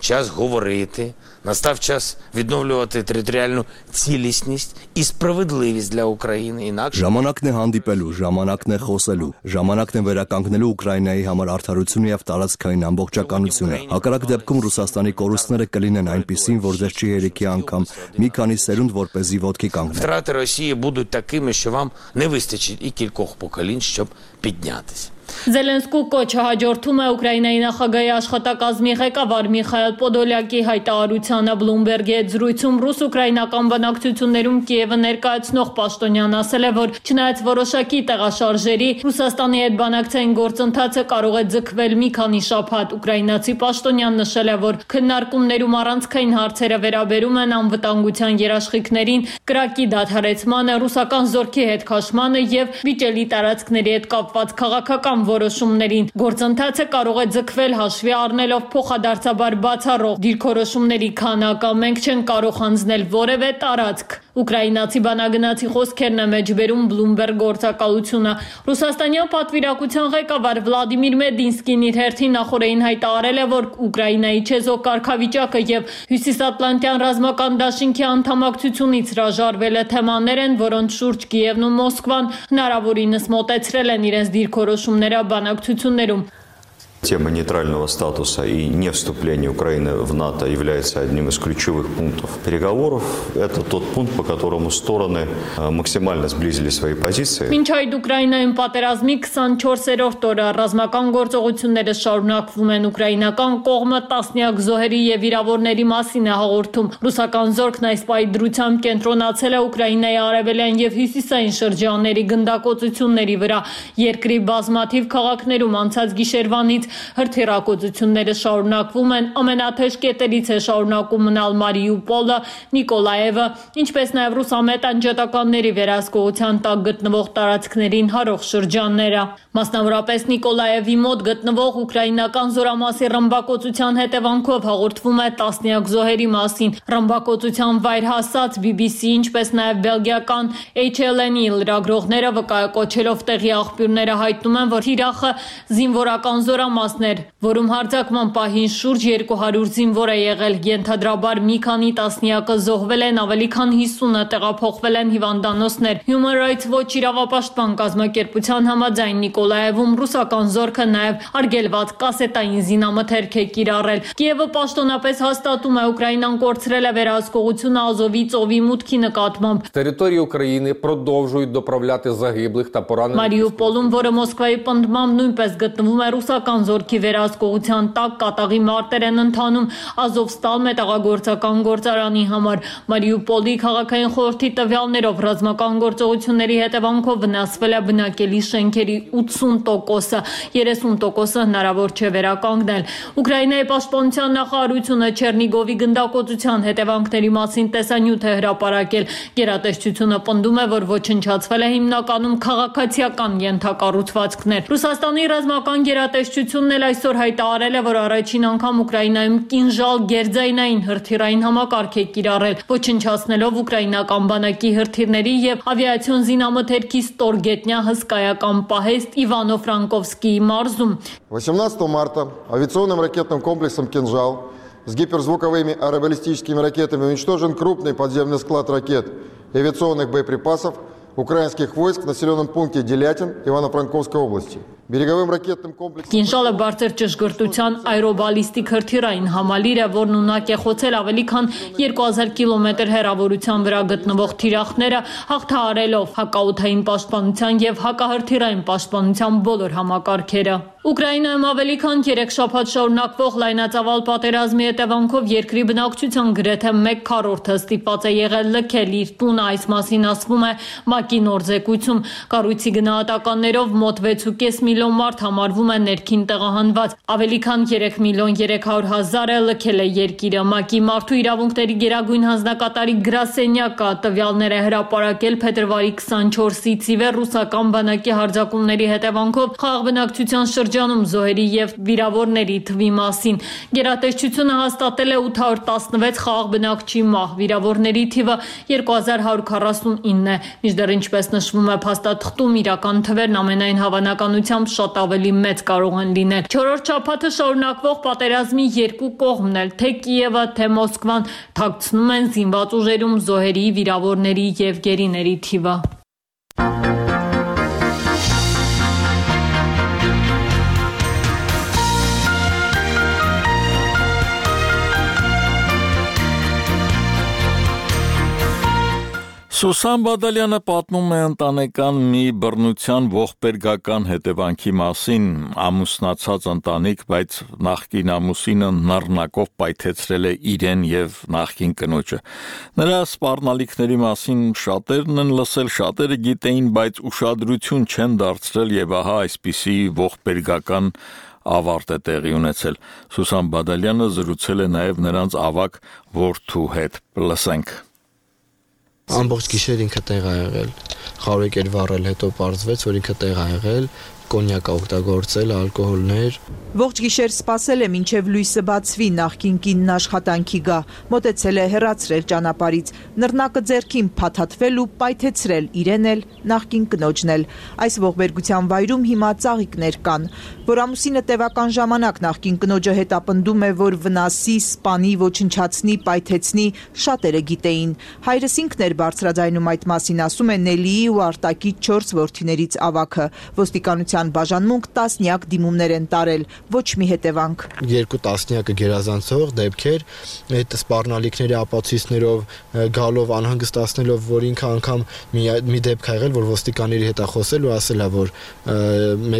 Час говорити, настав час відновлювати територіальну цілісність і справедливість для України. Інакше Ժամանակն է հանդիպելու, ժամանակն է խոսելու, ժամանակն է վերականգնելու Ուկրաինայի համար արդարությունը եւ տարածքային ամբողջականությունը։ Հակառակ դեպքում Ռուսաստանի կորուստները կլինեն այնպիսին, որ ձեզ չի հերիքի անգամ մի քանի սերունդ որպեսզի ոտքի կանգնել։ Втрати Росії будуть такими, що вам не вистачить і кількох поколінь, щоб піднятися. Զելենսկու կոչը հաջորդում է Ուկրաինայի նախագահի աշխատակազմի ղեկավար Միխայել Պոդոլյակի հայտարարությանը Բլումբերգի հետ զրույցում ռուս-ուկրաինական բանակցություններում Կիևը ներկայացնող պաշտոնյան ասել է, որ չնայած որոշակի տեղաշարժերի Ռուսաստանի հետ բանակցային գործընթացը կարող է ձգվել մի քանի շաբաթ։ Ուկրաինացի պաշտոնյան նշել է, որ քննարկումներում առանցքային հարցերը վերաբերում են անվտանգության երաշխիքներին, կրակի դադարեցմանը, ռուսական զորքի հետ քաշմանը եւ վիճելի տարածքների հետ կապված քաղաքական որոշումներին։ Գործընթացը կարող է ձգվել հաշվի առնելով փոխադարձաբար բացառող դիրքորոշումների քանակը։ Մենք չենք կարող հանձնել որևէ տարածք։ Ուկրաինացի բանագնացի խոսքերն է մեջբերում Bloomberg գործակալությունը։ Ռուսաստանյան պատվիրակության ղեկավար Վլադիմիր Մեդինսկին իր հերթին նախորդին հայտարարել է, որ Ուկրաինայի չեզոք կարգավիճակը եւ Հյուսիսատլանտյան ռազմական դաշինքի անդամակցությունից հրաժարվելը թեմաներ են, որոնց շուրջ Կիևն ու Մոսկվան հնարավորինս մոտեցրել են իրենց դիրքորոշումները բանակցություններում։ Тема нейтрального статуса и не вступления Украины в НАТО является одним из ключевых пунктов переговоров. Это тот пункт, по которому стороны максимально сблизили свои позиции. Մինչ այդ Ուկրաինայում պատերազմի քսանչորսերորդ օրը ռազմական գործողությունները շարունակվում են։ Ուկրաինական կողմը տասնյակ զոհերի եւ վիրավորների մասին է հաղորդում։ Ռուսական զորքն այս պայդրությամբ կենտրոնացել է Ուկրաինայի արևելյան եւ հյուսիսային շրջանների գնդակոծությունների վրա։ Երկրի բազմաթիվ քաղաքներում անցած գիշերվանից հրթիռակոծությունները շարունակվում են։ Ամենաթեժ կետերից է շարունակում մնալ Մարիուպոլը, Նիկոլաևը, ինչպես նաև ռուսամետ անջատականների վերահսկողության տակ գտնվող տարածքներին հարող շրջանները։ Մասնավորապես Նիկոլաևի մոտ գտնվող ուկրաինական զորամասի ռմբակոծության հետևանքով հաղորդվում է տասնյակ զոհերի մասին։ Ռմբակոծության վայր հասած բի բի սի, ինչպես նաև բելգիական H L N-ի լրագրողները վկայակոչելով տեղի աղբյուրները հայտնում են, որ թիրախը զինվորական զորամասն էր, որում հարձակման պահին շուրջ երկու հարյուր զինվոր է եղել։ Ենթադրաբար մի քանի տասնյակը զոհվել են, ավելի քան հիսունը տեղափոխվել են հիվանդանոցներ։ Human Rights Watch իրավապաշտպան կազմակերպության համաձայն Նիկոլաևում ռուսական զորքը նաև արգելված կասետային զինամթերք է կիրառել։ Կիևը պաշտոնապես հաստատում է Ուկրաինան կորցրել է վերահսկողությունը Ազովի ծովի մուտքի նկատմամբ։ Території України продовжують доправляти загиблих та поранених. Մարիուպոլում, որը Մոսկվայի պնդմամբ նույնպես գտնվում է ռուսական զորքի վերահսկողության տակ, Կատաղի մարտեր են ընթանում Ազովստալ մետաղագործական գործարանի համար։ Մարիուպոլի քաղաքային խորհրդի տվյալներով ռազմական գործողությունների հետևանքով վնասվել է բնակելի շենքերի ութսուն տոկոսը, երեսուն տոկոսը հնարավոր չէ վերականգնել։ Ուկրաինայի պաշտպանության նախարարությունը Չերնիգովի գնդակոծության հետևանքների մասին տեսանյութ է հրապարակել։ Գերատեսչությունը պնդում է, որ ոչնչացվել է հիմնականում քաղաքացիական ենթակառուցվածքներ։ Ռուսաստանի ռազմական գերատեսչությունն էլ այսօր հայտարարել է, որ առաջին անգամ Ուկրաինայում կինժալ գերձայնային հրթիռային համակարգ է կիրառել, ոչնչացնելով ուկրաինական բանակի հրթիռների եւ ավիացիոն զինամթերքի ստորգետնյա հսկայական պահեստ Իվանո-Ֆրանկովսկիի մարզում։ восемнадцатого марта авиационным ракетным комплексом «Кинжал» с гиперзвуковыми аэробаллистическими ракетами уничтожен крупный подземный склад ракет и авиационных боеприпасов украинских войск в населенном пункте Делятин Ивано-Франковской области. береговым ракетным комплексом. Կինժալը բարձր ճշգրտության այրոբալիստիկ հրթիռային համալիր է, որն ունակ է խոցել ավելի քան երկու հազար կիլոմետր հեռավորության վրա գտնվող թիրախները, հաղթահարելով հակաօդային պաշտպանության եւ հակահրթիռային պաշտպանության բոլոր համակարգերը։ Ուկրաինայում ավելի քան երեք շաբաթ շարունակվող լայնածավալ պատերազմի հետևանքով երկրի բնակչության գրեթե մեկ քառորդը ստիպված է եղել լքել իր տունը, այս մասին ասվում է ՄԱԿ-ի նոր զեկույցում։ Կառույցի գնահատականներով մոտ վեց ու կես միլիոն մարդ համարվում է ներքին տեղահանված, ավելի քան երեք միլիոն երեք հարյուր հազարը լքել է երկիրը։ ՄԱԿ-ի մարդու իրավունքների գերագույն հանձնակատարի գրասենյակը տվյալներ է հրապարակել փետրվարի քսանչորսից ի վեր ռուսական բանակի հարձակումների հետևանքով խաղաղ բնակչության շրջանում զոհերի եւ վիրավորների թվի մասին։ Գերատեսչությունը հաստատել է ութ հարյուր տասնվեց խաղաղ բնակչի մահ, վիրավորների թիվը երկու հազար հարյուր քառասունինն է։ Մինչդեռ, ինչպես նշվում է փաստաթղթում, իրական թվերն ամենայն հավանականությամբ շատ ավելի մեծ կարող են լինել։ Չորրորդ շաբաթը շարունակվող պատերազմի երկու կողմն էլ, թե Կիևը, թե Մոսկվան, թաքցնում են զինված ուժերում զոհերի, վիրավորների եւ գերիների թիվը։ Սուսան Բադալյանը պատմում է ընտանեկան մի բռնության ողբերգական հետևանքի մասին։ Ամուսնացած ընտանիք, բայց նախկին ամուսինը նռնակով պայթեցրել է իրեն եւ նախկին կնոջը։ Նրա սպառնալիքների մասին շատերն են լսել, շատերը գիտեին, բայց ուշադրություն չեն դարձրել եւ ահա այսպիսի ողբերգական ավարտ է տեղի ունեցել։ Սուսան Բադալյանը զրուցել է նաեւ նրանց ավագ որդու հետ։ Լսենք։ Ամբողջ գիշեր ինքը տեղ ա եղել, խարույկ էր վառել, հետո պարզվեց, որ ինքը տեղ ա եղել, կոնյակ ա օգտագործել, ալկոհոլներ։ Ողջ գիշեր սպասել է մինչև լույսը բացվի, նախկին կինն աշխատանքի գա, մոտեցել է հեռացրել ճանապարհից, նռնակը ձեռքին փաթաթվել ու պայթեցրել իրեն էլ, նախկին կնոջն էլ։ Այս ողբերգության վայրում հիմա ծաղիկներ կան, որ ամուսինը տևական ժամանակ նախկին կնոջը հետապնդում է, որ վնասի, սպանի, ոչնչացնի, պայթեցնի, շատերը գիտեին։ Հայրս ինքն էր բարձրաձայնում այդ մասին, ասում է Նելիի ու Արտակի չորս որդիներից ավագը։ Ոստիկանության բաժանմունք տասնյակ դիմումներ են տարել, ոչ մի հետևանք։ Երկու տասնյակը գերազանցող դեպքեր, այդ սպառնալիքների ապացույցներով գալով անհանգստացնելով, որ ինքը անգամ մի, մի դեպք ա եղել, որ ոստիկանների հետ ա խոսել ու ասել ա, որ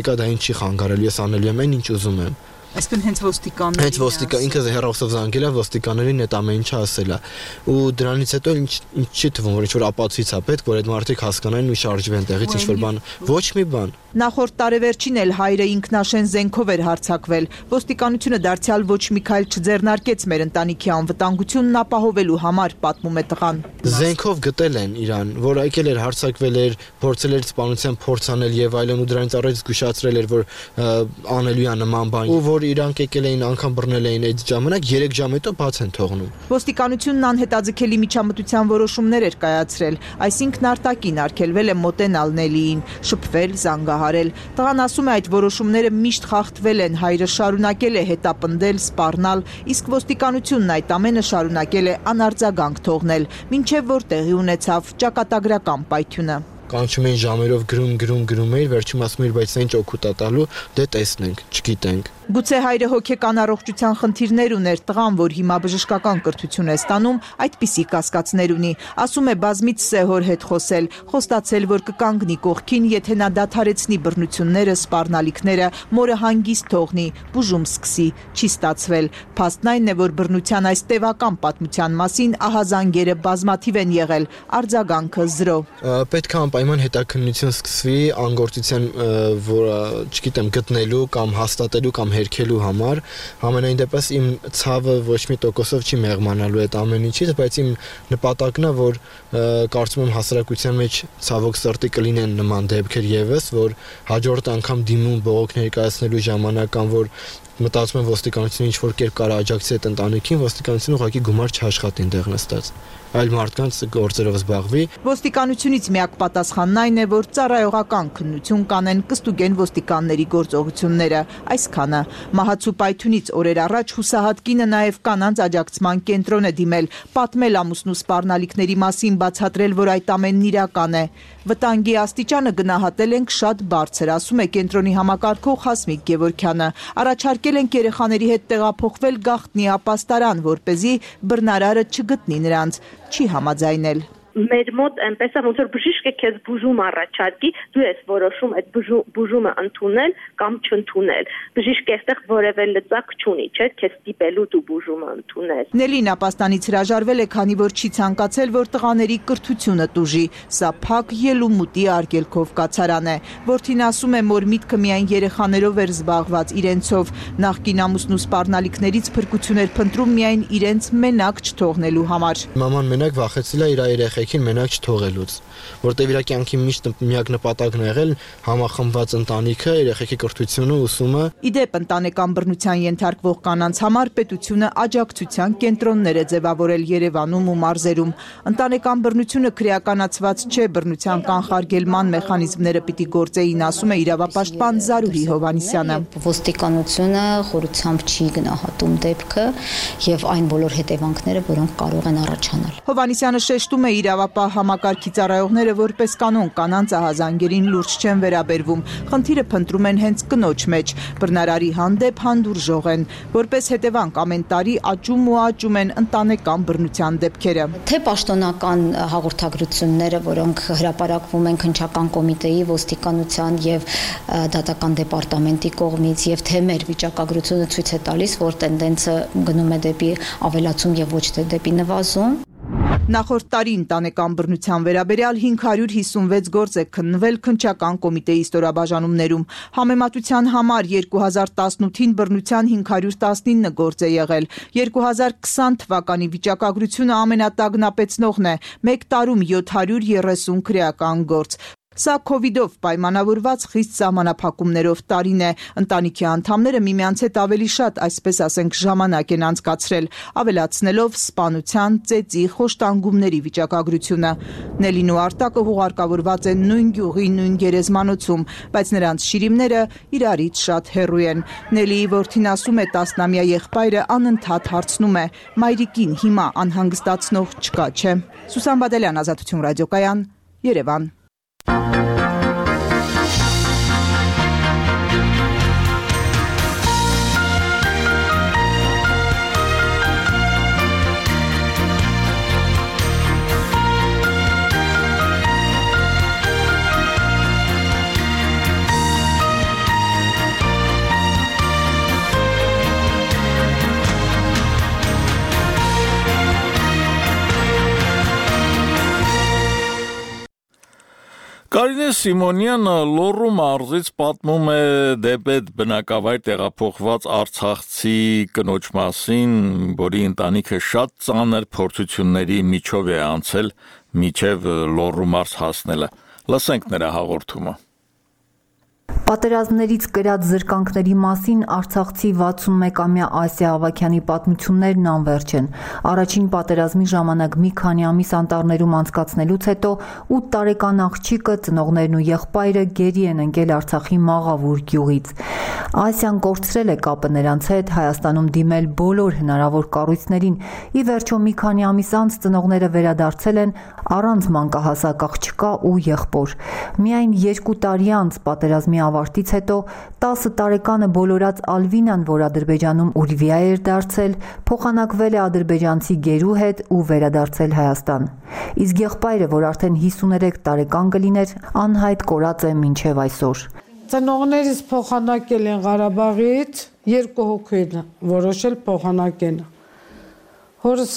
մեկը դա ինչ չի խանգարել, ես անելու եմ այն, ինչ ուզում եմ։ Այսինքն հենց ոստիկանների Հենց ոստիկան ինքը հեռախոսով զանգել է ոստիկաններին այդ ամեն ինչը ասել է։ Ու դրանից հետո ինչ ինչ չի թվում, որ ինչ-որ ապացույց է պետք, որ այդ մարդիկ հասկանային ու շարժվեն տեղից ինչ-որ բան։ Ոչ մի բան։ Նախորդ տարեվերջին էլ հայրը ինքնաշեն զենքով էր հարձակվել։ Ոստիկանությունը դարձյալ ոչ մի քայլ չձեռնարկեց մեր ընտանիքի անվտանգությունն ապահովելու համար, պատմում է տղան։ Զենքով գտել են իրան, որ եկել էր հարձակվել էր, փորձել էր սպանության փորձ անել եւ այլն ու դրանից առաջ զգուշացրել էր, որ անելու է նման բան։ Ու որ իրանք եկել էին անգամ բռնել էին այդ ժամանակ երեք ժամ հետո բաց են թողնում։ Ոստիկանությունն անհետաձգելի միջամտության որոշումներ էր կայացրել, այսինքն Արտակին արգելվել է մոտենալ Նելիին, շփվել, զանգահարել։ Տղան ասում է այդ որոշումները միշտ խախտվել են, հայրը շարունակել է հետապնդել, սպառնալ, իսկ ոստիկանությունն այդ ամենը շարունակել է անարձագանք թողնել, մինչև որ տեղի ունեցավ ճակատագրական պայթյունը։ Կանչում էին ժամերով գրում, գրում, գրում էր, վերջում ասում էր, բայց ինչ օգուտ է տալու, դե տեսնենք, չգիտենք։ Գուցե հայրը հոգեկան առողջության խնդիրներ ուներ, տղան, որ հիմա բժշկական կրթություն է ստանում, այդպիսի կասկածներ ունի։ Ասում է բազմից է հոր հետ խոսել, խոստացել, որ կկանգնի կողքին, եթե նա դադարեցնի բռնությունները, սպառնալիքները, մորը հանգիստ թողնի, բուժում սկսի, չի ստացվել։ Փաստն այն է, որ բռնության այս տևական պատմության մասին ահազանգերը բազմաթիվ են եղել, արձագանքը զրո։ Պետք է անպայման հետաքննություն սկսվի անգործության, որը, չգիտեմ, գտնելու կամ հաստատելու կամ հերքելու համար, համենայն դեպս իմ ցավը ոչ մի տոկոսով չի մեղմանալու այդ ամեն ինչից, բայց իմ նպատակն է, որ կարծում եմ հասարակության մեջ ցավոք սրտի կլինեն նման դեպքեր եւս, որ հաջորդ անգամ դիմում բողոք ներկայացնելու ժամանակ կամ որ մտածում եմ ոստիկանությունը ինչ որ կերպ կարա աջակցի այդ ընտանիքին, ոստիկանությունը ուղղակի գումար չաշխատի այնտեղ նստած, այլ մարդկանց գործերով զբաղվի։ Ոստիկանությունից միակ պատասխանն այն է, որ ծառայողական քննություն կանեն, կստուգեն ոստիկանների գործողությունները, այսքանը։ Մահացու պայթյունից օրեր առաջ հուսահատ կինը նաև կանանց աջակցման կենտրոն է դիմել, պատմել ամուսնու սպառնալիքների մասին, բացատրել, որ այդ ամենն իրական է։ Վտանգի աստիճանը գնահատել ենք շատ բարձր, ասում է կենտրոնի համակարգող Հասմիկ Գևորգյանը։ Առաջարկել ենք երեխաների հետ տեղափոխվել գաղտնի ապաստարան, որպեսզի բռնարարը չգտնի նրանց, չի համաձայնել։ Մեր մոտ այնպես է, ոնց որ բժիշկը քեզ բուժում առաջարկի, դու ես որոշում այդ բուժումը ընդունել կամ չընդունել։ Բժիշկը այստեղ որևէ լծակ չունի, չէ՞, քեզ ստիպելու դու բուժումը ընդունել։ Նելին ապաստանից հրաժարվել է, քանի որ չի ցանկացել, որ տղաների կրթությունը տուժի։ Սա փակ ելումուտի արգելքով կացարան է։ Որդին ասում է, որ միտքը միայն երեխաներով էր զբաղված, իրենցով։ Նախկին ամուսնու սպառնալիքներից փրկություն էր փնտրում միայն իրենց մենակ չթողնելու համար։ Մաման մենակ վախեցել է իր երեխեքին մենակ չթողելուց, որտեղ իր կյանքի միշտ միակ նպատակն է եղել համախմբված ընտանիքը, երեխեքի կրթությունը, ուսումը։ Իդեպ ընտանեկան բռնության ենթարկվող կանանց համար պետությունը աջակցության կենտրոններ է ձևավորել Երևանում ու մարզերում։ Ընտանեկան բռնությունը քրեականացված չէ, բռնության կանխարգելման մեխանիզմները պիտի գործեին, ասում է իրավապաշտպան Զարուհի Հովհաննիսյանը։ Ոստիկանությունը խորությամբ չի գնահատում դեպքը եւ այն բոլոր հետևանքները, որոնք կարող են առաջանալ։ Հովհաննիսյանը շեշտում է իրավապահ համակարգի ծառայողները որպես կանոն կանանց ահազանգերին լուրջ չեն վերաբերվում։ Խնդիրը փնտրում են հենց կնոջ մեջ։ Բռնարարի հանդեպ հանդուրժող են, որպես հետևանք ամեն տարի աճում ու աճում են ընտանեկան բռնության դեպքերը։ Թե պաշտոնական հաղորդագրությունները, որոնք հրապարակվում են քննչական կոմիտեի, ոստիկանության եւ դատական դեպարտամենտի կողմից, եւ թե մեր վիճակագրությունը ցույց է տալիս, որ տենդենսը գնում է դեպի ավելացում եւ ոչ թե դեպի նվազում։ Նախորդ տարի ընտանեկան բռնության վերաբերյալ հինգ հարյուր հիսունվեց գործ է քննվել քննչական կոմիտեի ստորաբաժանումներում։ Համեմատության համար երկու հազար տասնութին բռնության հինգ հարյուր տասնինը գործ է եղել։ երկու հազար քսան թվականի վիճակագրությունը ամենատագնապեցնողն է՝ մեկ տարում յոթ հարյուր երեսուն քրեական գործ։ Սա քովիդով պայմանավորված խիստ սահմանափակումներով տարին է։ Ընտանիքի անդամները միմյանց հետ ավելի շատ, այսպես ասենք, ժամանակ են անցկացրել, ավելացնելով սպանության, ծեծի, խոշտանգումների վիճակագրությունը։ Նելին ու Արտակը հուղարկավորված են նույն գյուղի, նույն գերեզմանոցում, բայց նրանց շիրիմները իրարից շատ հեռու են։ Նելիի որդին ասում է, տասնամյա եղբայրը անընդհատ հարցնում է. մայրիկին հիմա անհանգստացնող չկա, չէ՞։ Սուսան Բադալյան, Ազատություն ռադիոկայան, Երևան։ Կարինե Սիմոնյանը Լոռու մարզից պատմում է դեպետ բնակավայր տեղափոխված արցախցի կնոջ մասին, որի ընտանիքը շատ ծանր փորձությունների միջով է անցել մինչև Լոռու մարզ հասնելը։ Լսենք նրա հաղորդումը։ Պատերազմներից կրած զրկանքների մասին արցախցի վաթսունմեկամյա Ասիա Ավագյանի պատմություններն անվերջ են։ Առաջին պատերազմի ժամանակ մի քանի ամիս անտառներում անցկացնելուց հետո ութ տարեկան աղջիկը, ծնողներն ու եղբայրը գերի են ընկել Արցախի Մաղավուր գյուղից։ Ասիան կորցրել է կապը նրանց հետ, Հայաստանում դիմել բոլոր հնարավոր կառույցներին։ Ի վերջո մի քանի ամիս անց ծնողները վերադարձել են առանց մանկահասակ աղջկա ու եղբոր։ Միայն երկու տարի անց պատերազմի ավարտից հետո տասը տարեկանը բոլորած Ալվինան, որ Ադրբեջանում Ուրվիա էր դարձել, փոխանակվել է ադրբեջանցի գերու հետ ու վերադարձել Հայաստան։ Իսկ եղբայրը, որ արդեն հիսուներեք տարեկան կլիներ, անհայտ կորած է մինչև այսօր։ Ծնողներիս փոխանակել են Ղարաբաղից, երկու հոգու են որոշել փոխանակեն։ Հորս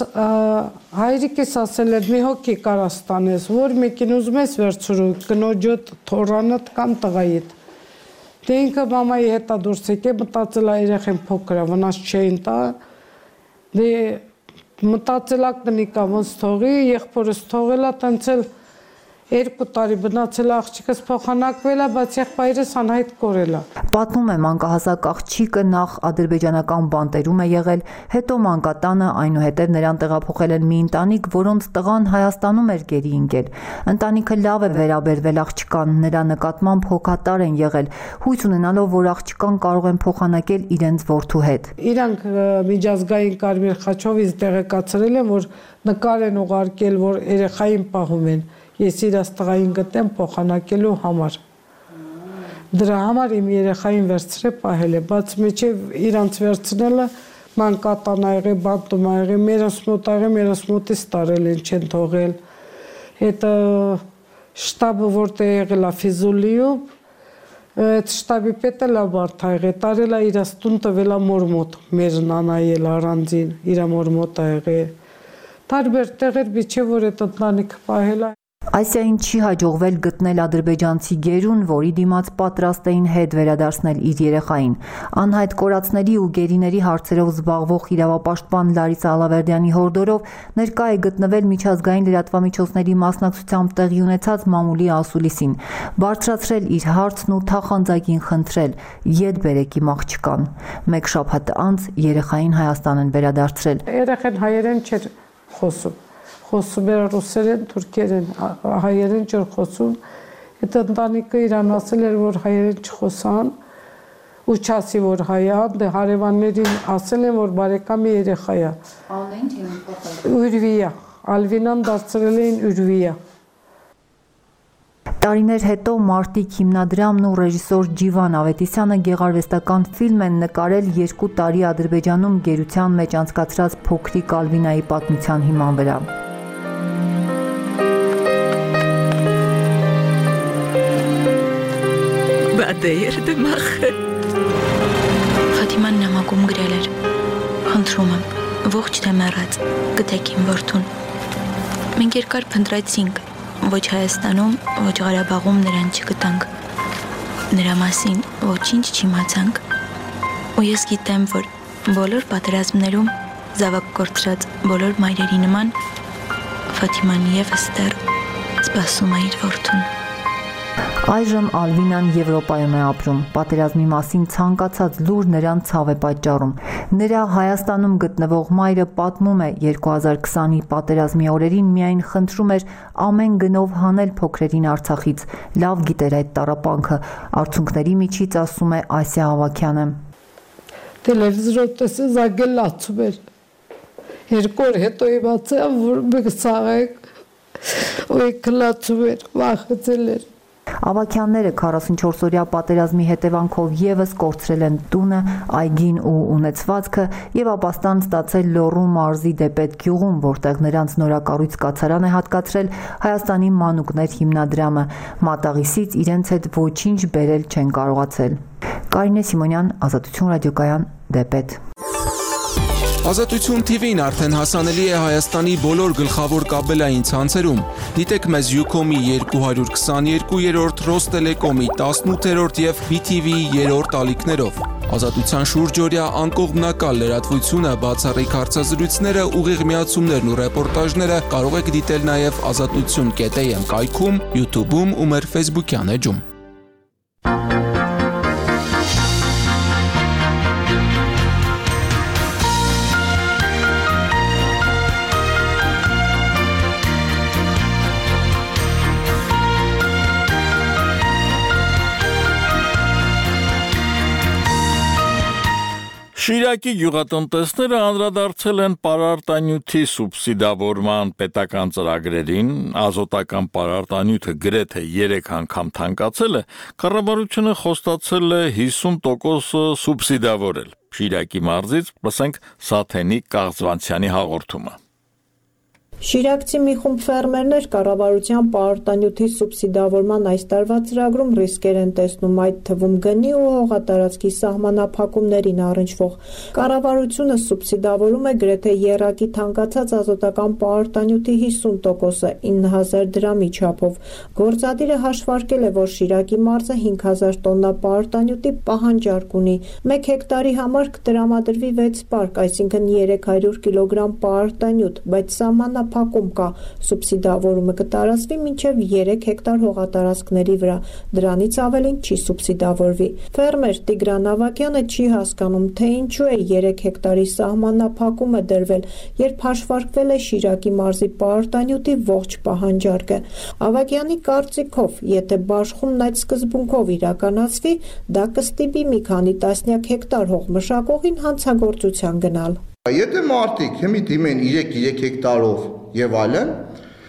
հայրիկս ասել էր մի հոգի կարաս տանես, որ մեկին ուզում ես վերցրու, կնոջոտ, թորանդ կամ տղայիդ։ Դե ինքը մամայի հետա դուրս եկե, մտածել է երեխեն փոքր է, վնաս չէին տա, դե մտածել ա կնիկա ոնց թողի, եղբորս թողել ա, տենցել երկու տարի բնացել աղջիկս փոխանակվել է, բայց եղբայրս անհայտ կորել է։ Պատմում է մանկահասակ աղջիկը նախ ադրբեջանական բանտերում է եղել, հետո մանկատանը, այնուհետև նրան տեղափոխել են մի ընտանիք, որոնց տղան Հայաստանում էր գերի ընկել։ Ընտանիքը լավ է վերաբերվել աղջկան, նրա նկատմամբ հոգատար են եղել, հույս ունենալով, որ աղջկան կարող են փոխանակել իրենց որդու հետ։ Իրանք միջազգային Կարմիր խաչովից տեղեկացրել են, որ նկար են ուղարկել, որ երեխային պահում են։ ես իրաց տղային գտեմ փոխանակելու համար։ Դրա համար իմ երեխային վերցրել պահել է, բայց միջև իրանց վերցնելը մանկատան ա եղել, բանտում ա եղել, մերս մոտ ա եղել, մերս մոտից տարել են, չեն թողել։ Այդ շտաբը որտեղ եղել ա Ֆիզուլիում, այդ շտաբի պետը լա բարդ ա եղել, տարել ա իրաց տուն տվել ա մոր մոտ, մեր նանայել առանձին, իրա մոր մոտ ա եղել։ Տարբեր տեղեր միջև որ այդ ընտանիքը պահել ա։ Ասիային չի հաջողվել գտնել ադրբեջանցի գերուն, որի դիմաց պատրաստ էին հետ վերադարձնել իր երեխային։ Անհայտ կորածների ու գերիների հարցերով զբաղվող իրավապաշտպան Լարիսա Ալավերդյանի հորդորով ներկա է գտնվել միջազգային լրատվամիջոցների մասնակցությամբ տեղի ունեցած մամուլի ասուլիսին, բարձրացրել իր հարցն ու թախանձակին խնդրել՝ ետ բերեք իմ աղջկան։ Մեկ շաբաթ անց երեխային Հայաստան են վերադարձրել։ Երեխան հայերեն չէր խոսում։ Խոսում էր ռուսերեն, թուրքերեն, հայերեն չէր խոսում։ Այդ ընտանիքը իրան ասել էր, որ հայերեն չխոսան ու չասի, որ հայ է, դե հարևաններին ասել են, որ բարեկամի երեխա է։ Անեն չէին փոխել։ Ուրվիա, Ալվինան դարձրել էին Ուրվիա։ Տարիներ հետո Մարտիկ հիմնադրամն ու ռեժիսոր Ջիվան Ավետիսյանը գեղարվեստական ֆիլմ են նկարել երկու տարի Ադրբեջանում գերության մեջ անցկացրած փոքրիկ Ալվինայի պատմության հիման վրա։ Ֆաթիման նամակում գրել էր. «Խնդրում եմ, ողջ թե մեռած, գտեք իմ որդուն»։ Մենք երկար փնտրեցինք, ոչ Հայաստանում, ոչ Ղարաբաղում նրան չգտանք։ Նրա մասին ոչինչ չիմացանք։ Ու ես գիտեմ, որ բոլոր պատերազմներում զավակ կորցրած բոլոր մայրերի նման Ֆաթիման ևս դեռ սպասում է իր որդուն։ Այժմ Ալվինան Եվրոպայում է ապրում։ Պատերազմի մասին ցանկացած լուր նրան ցավ է պատճառում։ Նրա Հայաստանում գտնվող մայրը պատմում է երկու հազար քսանի պատերազմի օրերին միայն խնդրում էր ամեն գնով հանել փոքրերին Արցախից։ Լավ գիտեր այդ տառապանքը։ Արցունքների միջից ասում է Ասիա Ավագյանը։ Տելևիզորով տեսել զագել լացում էր։ Երկու օր հետո իմացա, որ մենք սաղենք, ու կլացում էր, վախեցել էր։ Ավագյանները քառասունչորս-օրյա պատերազմի հետևանքով եւս կորցրել են տունը, այգին ու ունեցվածքը եւ ապաստան ստացել Լոռու մարզի Դեպետ գյուղում, որտեղ նրանց նորակառույց կացարան է հատկացրել Հայաստանի մանուկներ հիմնադրամը։ Մատաղիսից իրենց հետ ոչինչ բերել չեն կարողացել։ Կարինե Սիմոնյան, Ազատություն ռադիոկայան, Դեպետ։ Ազատություն թիվին արդեն հասանելի է Հայաստանի բոլոր գլխավոր կաբելային ցանցերում։ Դիտեք մեզ Յուքոմի երկու հարյուր քսաներկու, Ռոստելեկոմի տասնութերորդ եւ բի թի վիի երրորդ ալիքներով։ Ազատության շուրջօրյա անկողմնակալ լրատվությունը, բացառիկ հարցազրույցները, ուղիղ միացումներն ու ռեպորտաժները կարող եք դիտել նաեւ ազատություն կետ էյ էմ կայքում, YouTube-ում ու մեր Facebook-յան էջում։ Շիրակի գյուղատնտեսները անդրադարձել են պարարտանյութի սուբսիդավորման պետական ծրագրերին, ազոտական պարարտանյութը գրեթե երեք անգամ թանկացել է, կառավարությունը խոստացել է հիսուն տոկոս սուբսիդավորել։ Շիրակի մարզից լսենք Սաթենի Կաղձվանցյանի հաղորդումը։ Շիրակցի մի խումբ ֆերմերներ կառավարության պարարտանյութի սուբսիդավորման այս տարվա ծրագրում ռիսկեր են տեսնում, այդ թվում գնի ու հողատարածքի սահմանափակումներին առնչվող։ Կառավարությունը սուբսիդավորում է գրեթե եռակի թանկացած ազոտական պարարտանյութի հիսուն տոկոսը ինը հազար դրամի չափով։ Գործադիրը հաշվարկել է, որ Շիրակի մարզը հինգ հազար տոննա պարարտանյութի պահանջարկ ունի։ Մեկ հեկտարի համար կտրամադրվի վեց պարկ, այսինքն երեք հարյուր կիլոգրամ պարարտանյութ, բայց սահմանափակում փակում կա, սուբսիդավորումը կտարածվի մինչև երեք հեկտար հողատարածքների վրա, դրանից ավելին չի սուբսիդավորվի։ Ֆերմեր Տիգրան Ավագյանը չի հասկանում, թե ինչու է երեք հեկտարի սահմանափակումը դրվել, երբ հաշվարկվել է Շիրակի մարզի պարարտանյութի ողջ պահանջարկը։ Ավագյանի կարծիքով, եթե բաշխումն այդ սկզբունքով իրականացվի, դա կստիպի մի քանի տասնյակ հեկտար հող մշակողին հանցագործության գնալ։ Եթե մարդիկ հիմի դիմեն երեք հեկտարով եւ այլն,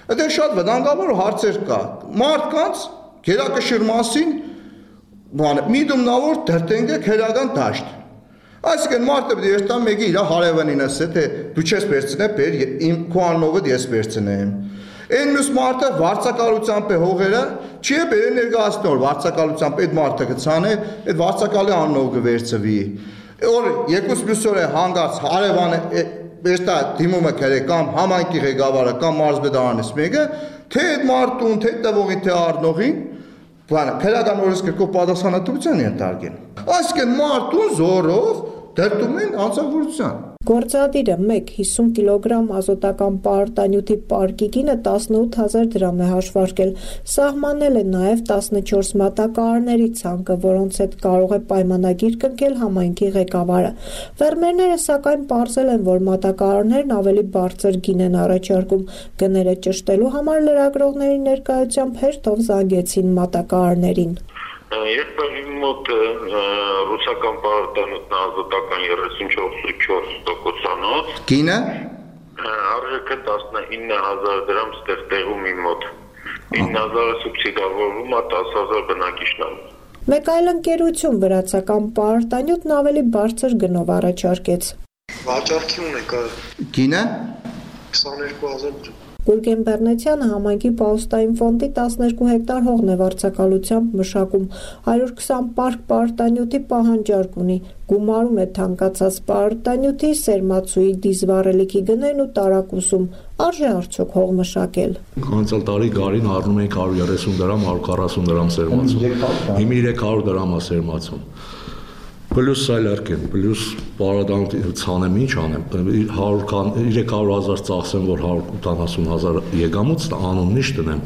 Դա շատ վտանգավոր հարցեր կա։ Մարդկանց գերակշռ մասին բանը միդումնավոր դրտենք է քերական դաշտ։ Այսինքն մարդը պետք է երթա մեկի իր հարևանին ասե, թե դու չես վերցնե, բեր իմ քո անունով ես վերցնեմ։ Այն մյուս մարդը վարձակալությամբ է հողերը, չի է բերեն ներկայացնի, որ վարձակալությամբ այդ մարդը կցանե, այդ վարձակալի անունով կվերցվի։ Որ երկուս մյուս օրը հանգած հարևանը վերստա դիմումը կրե կամ համայնքի ղեկավարը կամ մարզպետարանից մեկը, թե այդ մարդուն, թե տվողին, թե առնողին, բանը քրական օրենս կրկով պատասխանատվության ենթարկեն։ Այսինքն մարդուն զորով դրդում են անձնավորության։ Գործադիրը մեկ հիսուն կիլոգրամ ազոտական պարարտանյութի պարկի գինը տասնութ հազար դրամ է հաշվարկել։ Սահմանել է նաև տասնչորս մատակարարների ցանկը, որոնց հետ կարող է պայմանագիր կնքել համայնքի ղեկավարը։ Ֆերմերները սակայն պարզել են, որ մատակարարներն ավելի բարձր գին են առաջարկում։ Գները ճշտելու համար լրագրողների ներկայությամբ հերթով զանգեցին մատակարարներին։ Երբ իմ մոտ ռուսական պարարտանյութն ազոտական երեսունչորս տոկոսանոց Գինը արժեքը տասնինը հազար դրամ ստեղտեղում իմ մոտ ինը հազարը սուբսիդավորվում է տասը հազար բնակիչներում։ Մեկ այլ ընկերություն վրացական պարարտանյութն ավելի բարձր գնով առաջարկեց։ Վաճառքի ունեք Գինը քսաներկու հազար դրամ։ Գուրգեն Բեռնեցյանը համայնքի Պաուստային ֆոնդի տասներկու հեկտար հողն է վարձակալությամբ մշակում, հարյուր քսան պարկ պարարտանյութի պահանջարկ ունի, գումարում է թանկացած պարարտանյութի, սերմացուի, դիզվառելիքի գներն ու տարակուսում, արժե արդյոք հող մշակել։ Անցյալ տարի գարին առնում էինք հարյուր երեսուն դրամ, հարյուր քառասուն դրամ սերմացում, հիմա երեք հարյուր դրամ է սերմացում։ Պլյուս սայլարկեն, պլյուս պարադանտ ցանեմ, ինչ անեմ, երեք հարյուր հազար ծախսեմ, որ հարյուր ութանասուն հազար եկամուտ անունն ինչ տնեմ։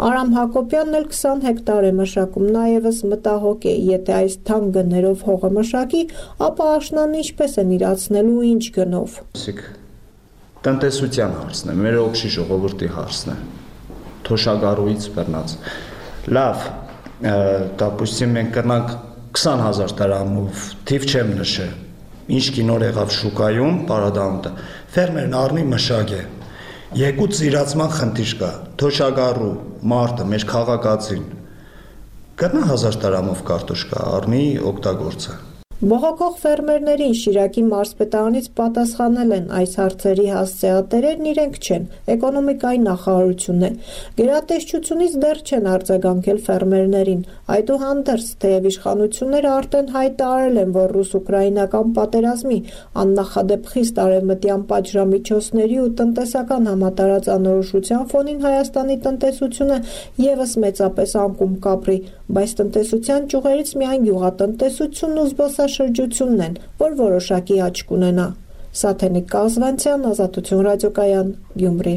Արամ Հակոբյանն էլ քսան հեկտար է մշակում, նաև մտահոգ է, եթե այս թանկ գներով հողը մշակի, ապա աշնան ինչպես են իրացնելու ինչ գնով։ Տնտեսության հարցն է, մեր օգշի ժողովրդի հարցն է, թոշակառուից բռնած։ Լավ, դապուստին մենք կրնանք քսան հազար դրամով, թիվ չեմ նշել, ինչ կինոր եղավ շուկայում, պարադանտը, ֆերմերն առնի մշակե, երկու ծիրացման խնդիր կա, թոշակառու մարդը, մեր քաղաքացին, կրնա հազար դրամով կարտոշկա, առնի օգտագործը։ Բողոքող ֆերմերներին Շիրակի մարզպետարանից պատասխանել են այս հարցերի հասցեատերերն իրենք չեն, էկոնոմիկայի նախարարությունն է։ Գերատեսչությունից դեռ չեն արձագանքել ֆերմերներին, այդուհանդերձ, թեև իշխանությունները արդեն հայտարարել են, որ ռուս-ուկրաինական պատերազմի աննախադեպ խիստ արևմտյան պատժամիջոցների ու տնտեսական համատարած անորոշության ֆոնին Հայաստանի տնտեսությունը ևս մեծապես անկում կապրի, բայց տնտեսության ճյուղերից միայն գյուղատնտեսությունն ու զբոսաշրջությունն են, որ որոշակի աճ կունենա։ Սաթենիկ Կազվանցյան, Ազատություն ռադիոկայան, Գյումրի։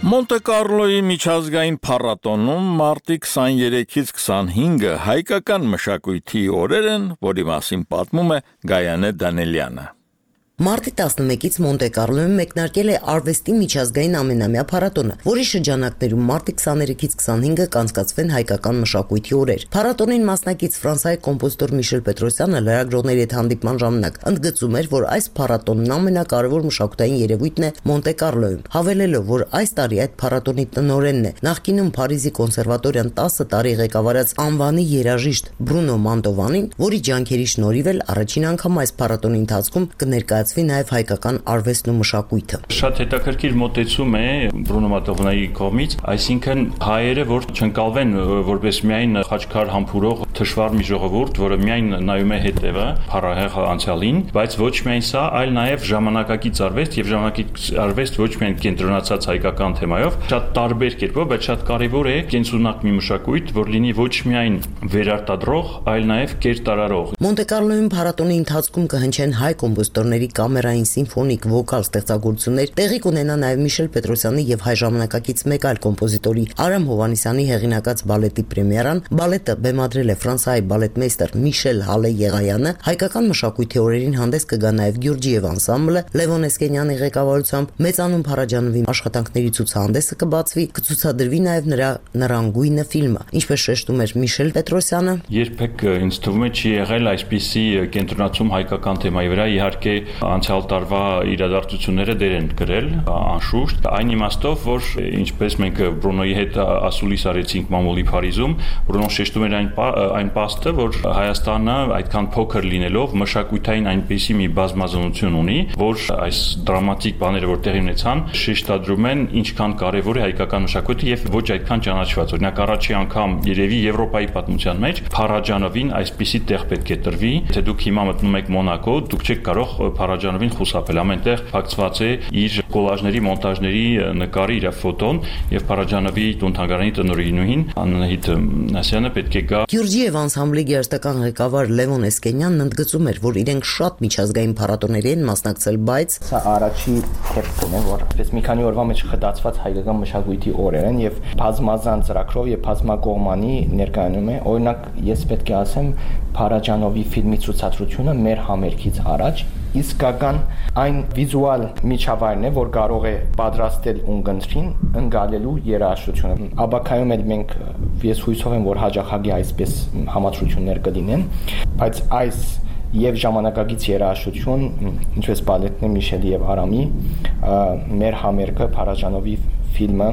Մոնտե Կարլոյի միջազգային փառատոնում մարտի քսաներեքից քսանհինգը հայկական մշակույթի օրեր են, որի մասին պատմում է Գայանե Դանելյանը։ Մարտի տասնմեկից Մոնտե Կարլոյում մեկնարկել է արվեստի միջազգային ամենամյա փառատոնը, որի շրջանակներում մարտի քսաներեքից քսանհինգը կանցկացվեն հայկական մշակույթի օրեր։ Փառատոնին մասնակից Ֆրանսիայի կոմպոզիտոր Միշել Պետրոսյանը լրագրողների հետ հանդիպման ժամանակ ընդգծում էր, որ այս փառատոնն ամենակարևոր մշակութային երևույթն է Մոնտե Կարլոյում, հավելելով, որ այս տարի այդ փառատոնի տնօրենն է նախկինում Փարիզի կոնսերվատորիան տասը տարի ղեկավարած անվանի երաժիշտ Բրունո Մանտովանին, որի ջանքերի շնորհիվ էլ առաջին անգամ այս փառատոնի ընթացքում կներկայացվի նաև հայկական արվեստն ու մշակույթը։ Շատ հետաքրքիր մոտեցում է Բրունո Մանտովանայի կողմից, այսինքն հայերը, որ չընկալվեն որպես միայն խաչքար համբուրող թշվառ մի ժողովուրդ, որը միայն նայում է հետևը փառահեղ անցյալին, բայց ոչ միայն սա, այլ նաև ժամանակակից արվեստ եւ ժամանակակից արվեստ ոչ միայն կենտրոնացած հայկական թեմայով, շատ տարբեր կերպով, բայց շատ կարեւոր է կենսունակ մի մշակույթ, որ լինի ոչ միայն վերարտադրող, այլ նաև կերտարարող։ Մոնտե Կարլոյում փառատոնի ընթացքում կհնչեն հայ կոմպոզիտորների կամերային, սիմֆոնիկ, վոկալ ստեղծագործություններ տեղի կունենա նաև Միշել Պետրոսյանի եւ հայ ժամանակակից մեկ այլ կոմպոզիտորի Արամ Հովհաննիսյանի հեղինակած բալետի պրեմիերան։ Բալետը բեմադրել է Ֆրանսիայի բալետմեյստեր Միշել Հալե Եղայանը, հայկական մշակույթի օրերին հանդես կգա նաև Գյուրջիև անսամբլը, Լևոն Էսկենյանի ղեկավարությամբ, մեծանուն Փարաջանովի աշխատանքների ցուցահանդեսը կբացվի, կցուցադրվի նաև նրա Նռանգույնը ֆիլմը։ Ինչպես շեշտում էր Միշել Պետրոսյանը, երբեք ինձ թվում է չի եղել այսպիսի կենտրոնացում հայկական թեմայի վրա, իհարկե անցյալ տարվա իրադարձությունները դեր են գրել, անշուշտ, այն իմաստով, որ ինչպես մենք Բրունոյի հետ ասուլիս արեցինք մամուլի Փարիզում, Բրունոն շեշտում էր այն այն փաստը, որ Հայաստանը այդքան փոքր լինելով մշակութային այնպիսի մի բազմազանություն ունի, որ այս դրամատիկ բաները, որ տեղի ունեցան, շեշտադրում են ինչքան կարևոր է հայկական մշակույթը եւ ոչ այդքան ճանաչված։ Օրինակ առաջի անգամ երևի Եվրոպայի պատմության մեջ Փարաջանովին այսպիսի տեղ պետք է տրվի, թե դուք հիմա մտնում եք Մոնակո, դուք չեք կարող Փարաջանովին խուսափել, ամենտեղ փակցված է իր կոլաժների, մոնտաժների նկարի, իր ֆոտոն եւ Փարաջանովի տուն-թանգարանի տնօրինուհին Անահիտ Ասյանը պետք է գա։ Գյուրջիև անսամբլի գերտական ղեկավար Լևոն Էսկենյանն ընդգծում էր, որ իրենք շատ միջազգային փառատոների են մասնակցել, բայց սա առաջի քեպն է, որ այսպես մի քանի օրվա մեջ խտացված հայկական մշակույթի օրեր են եւ բազմազան ծրագրով եւ բազմակողմանի ներկայանում է։ Օրինակ, ես պետք է ասեմ, Փարաջանովի ֆիլմի ցուցադրությունը մեր համերգից առաջ իսկական այն վիզուալ միջավայրն է, որ կարող է պատրաստել ունգընտրին ընկալելու երաժշտությունը։ Աբակայում էլ մենք ես հույսով եմ, որ հաջողագի այսպես համաձայնություններ կլինեն, բայց այս եւ ժամանակակից երաժշտություն, ինչպես բալետն է Միշելի եւ Արամի, մեր համերգը Փարաջանովի ֆիլմը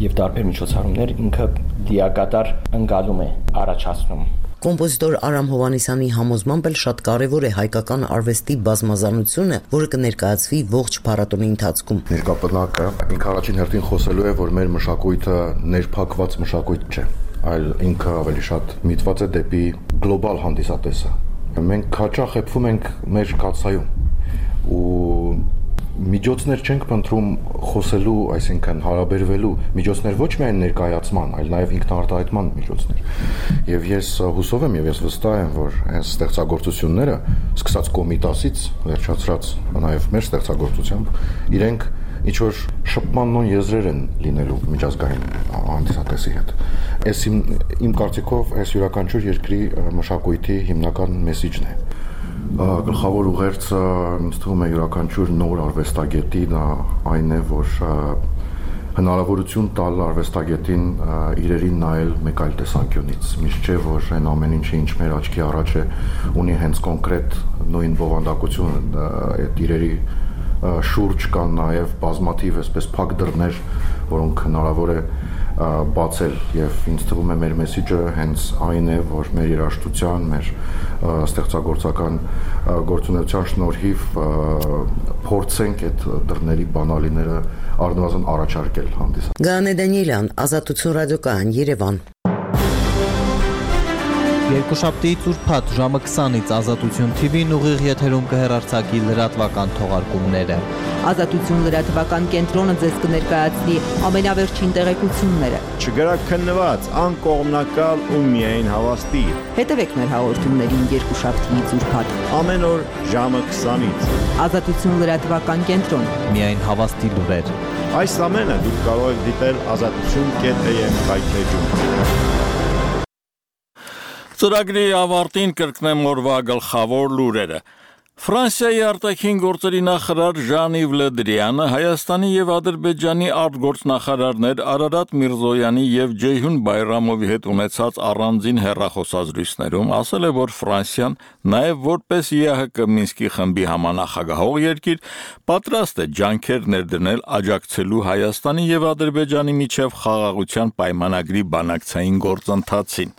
եւ տարբեր միջոցառումներ ինքը դիակատար ընկալում է առաջացնում։ Կոմպոզիտոր Արամ Հովհաննիսյանի համոզմամբ էլ շատ կարևոր է հայկական արվեստի բազմազանությունը, որը կներկայացվի ողջ փառատոնի ընթացքում։ Ներկայապնակը ինքը առաջին հերթին խոսելու է, որ մեր մշակույթը ներփակված մշակույթ չէ, այլ ինքը ավելի շատ միտված է դեպի գլոբալ հանդիսատեսը։ Մենք հաճախ խփվում ենք մեր կացայում ու միջոցներ չենք փնտրում խոսելու, այսինքն հարաբերվելու միջոցներ ոչ միայն ներկայացման, այլ նաև ինքնարտահայտման միջոցներ։ Եվ ես հուսով եմ եւ ես վստահ եմ, որ այս ստեղծագործությունները, սկսած Կոմիտասից, վերջացրած նաև մեր ստեղծագործությամբ, իրենք ինչ որ շփման նույն եզրեր են լինելու միջազգային հանդիսատեսի հետ։ Այս իմ, իմ կարծիքով այս յուրաքանչյուր երկրի մշակույթի հիմնական մեսիջն է։ Գլխավոր ուղերձը ինձ թվում է յուրաքանչյուր նոր արվեստագետի դա այն է, որ հնարավորություն տալ արվեստագետին իրերին նայել մեկ այլ տեսանկյունից։ Միշտ չէ, որ այն ամեն ինչը ինչ մեր աչքի առաջ է, ունի հենց կոնկրետ նույն բովանդակություն, այդ իրերի շուրջ կան նաև բազմաթիվ այսպես փակ դռներ, որոնք հնարավոր է բացել եւ ինձ թվում է մեր մեսիջը հենց այն է, որ մեր երաժշտության, մեր ստեղծագործական գործունեության շնորհիվ փորձենք այդ դռների բանալիները առնվազն առաջարկել հանդիսան։ Գայանե Դանիելյան, Ազատություն ռադիոկայան, Երևան։ Երկուշաբթիից ուրբաթ ժամը քսանից Ազատություն թի վին ուղիղ եթերում կհեռարձակի լրատվական թողարկումները։ Ազատություն լրատվական կենտրոնը ձեզ կներկայացնի ամենավերջին տեղեկությունները։ Չգրակ քննված, անկողմնակալ ու միայն հավաստի։ Հետևեք մեր հաղորդումներին երկուշաբթիից ուրբաթ ամեն օր ժամը քսանից։ Ազատություն լրատվական կենտրոն։ Միայն հավաստի լուրեր։ Այս ամենը դուք կարող եք դիտել ազատություն կետ էմ հայթեջում։ Ծրագրի ավարտին կրկնեմ օրվա գլխավոր լուրերը։ Ֆրանսիայի արտաքին գործերի նախարար Ժան-Իվ Լե Դրիանը Հայաստանի եւ Ադրբեջանի արտգործնախարարներ Արարատ Միրզոյանի եւ Ջեյհուն Բայրամովի հետ ունեցած առանձին հեռախոսազրույցներում ասել է, որ Ֆրանսիան նաեւ որպես ԵԱՀԿ Մինսկի խմբի համանախագահող երկիր պատրաստ է ջանքեր ներդնել աջակցելու Հայաստանի եւ Ադրբեջանի միջև խաղաղության պայմանագրի բանակցային գործընթացին։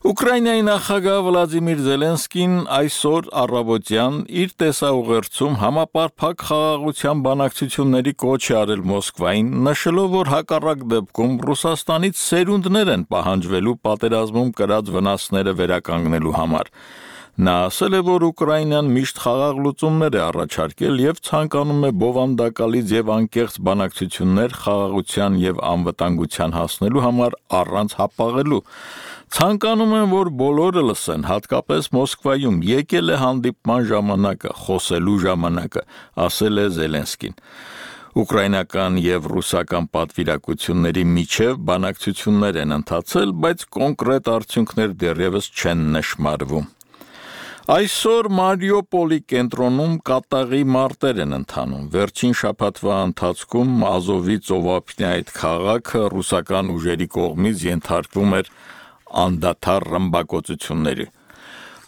Ուկրաինայի նախագահ Վլադիմիր Զելենսկին այսօր առավոտյան իր տեսաուղերձում համապարփակ խաղաղության բանակցությունների կոչ է արել Մոսկվային, նշելով, որ հակառակ դեպքում Ռուսաստանից սերունդներ են պահանջվելու պատերազմում կրած վնասները վերականգնելու համար։ Նա ասել է, որ Ուկրաինան միշտ խաղաղ լուծումներ է առաջարկել եւ ցանկանում է բովանդակալից եւ անկեղծ բանակցություններ խաղաղության եւ անվտանգության հասնելու համար առանց հապաղելու։ Ցանկանում են, որ բոլորը լսեն, հատկապես Մոսկվայում եկել է հանդիպման ժամանակը, խոսելու ժամանակը, ասել է Զելենսկին։ Ուկրաինական եւ ռուսական պատվիրակությունների միջև բանակցություններ են ընթացել, բայց կոնկրետ արդյունքներ դեռևս չեն նշմարվում։ Այսօր Մարիուպոլի կենտրոնում կատաղի մարտեր են ընթանում։ Վերջին շաբաթվա ընթացքում Ազովի ծովափնյա այդ քաղաքը ռուսական ուժերի կողմից ենթարկվում էր անդադար ռմբակոծությունների։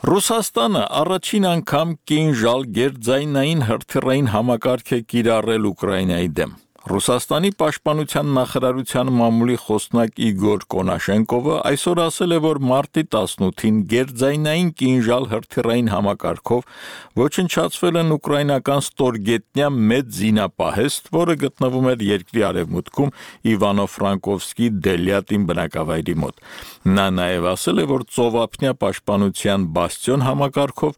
Ռուսաստանը առաջին անգամ կինժալ գերձայնային հրթիռային համակարգ է կիրառել Ուկրաինայի դեմ։ Ռուսաստանի պաշտպանության նախարարության մամուլի խոսնակ Իգոր Կոնաշենկովը այսօր ասել է, որ մարտի տասնութին գերձայնային կինժալ հրթիռային համակարգով ոչնչացվել են ուկրաինական ստորգետնյա մեծ զինապահեստ, որը գտնվում էր երկրի արևմուտքում Իվանո-Ֆրանկովսկի Դելյատին բնակավայրի մոտ։ Նա նաև ասել է, որ ծովափնյա պաշտպանության բաստիոն համակարգով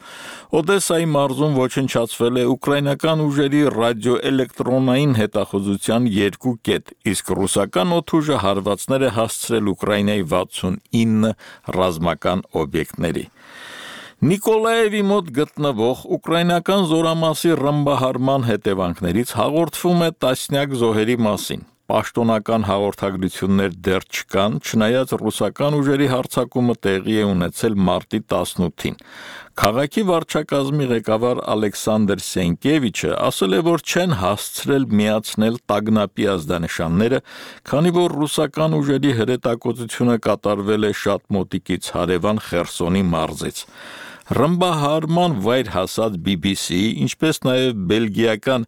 Օդեսայի մարզում ոչնչացվել է ուկրաինական ուժերի ռադիոէլեկտրոնային հետախուզության երկու կետ, իսկ ռուսական օդուժը հարվածներ է հասցրել Ուկրաինայի վաթսունինը ռազմական օբյեկտների։ Նիկոլաևի մոտ գտնվող ուկրաինական զորամասի ռմբահարման հետևանքներից հաղորդվում է տասնյակ զոհերի մասին։ Պաշտոնական հաղորդագրություններ դեռ չկան, չնայած ռուսական ուժերի հարձակումը տեղի է ունեցել մարտի տասնութին։ Քաղաքի վարչակազմի ղեկավար Ալեքսանդր Սենկևիչը ասել է, որ չեն հասցրել միացնել տագնապի ազդանշանները, քանի որ ռուսական ուժերի հրետակոծությունը կատարվել է շատ մոտիկից հարևան Խերսոնի մարզից։ Ռմբահարման վայր հասած բի բի սի-ի, ինչպես նաև բելգիական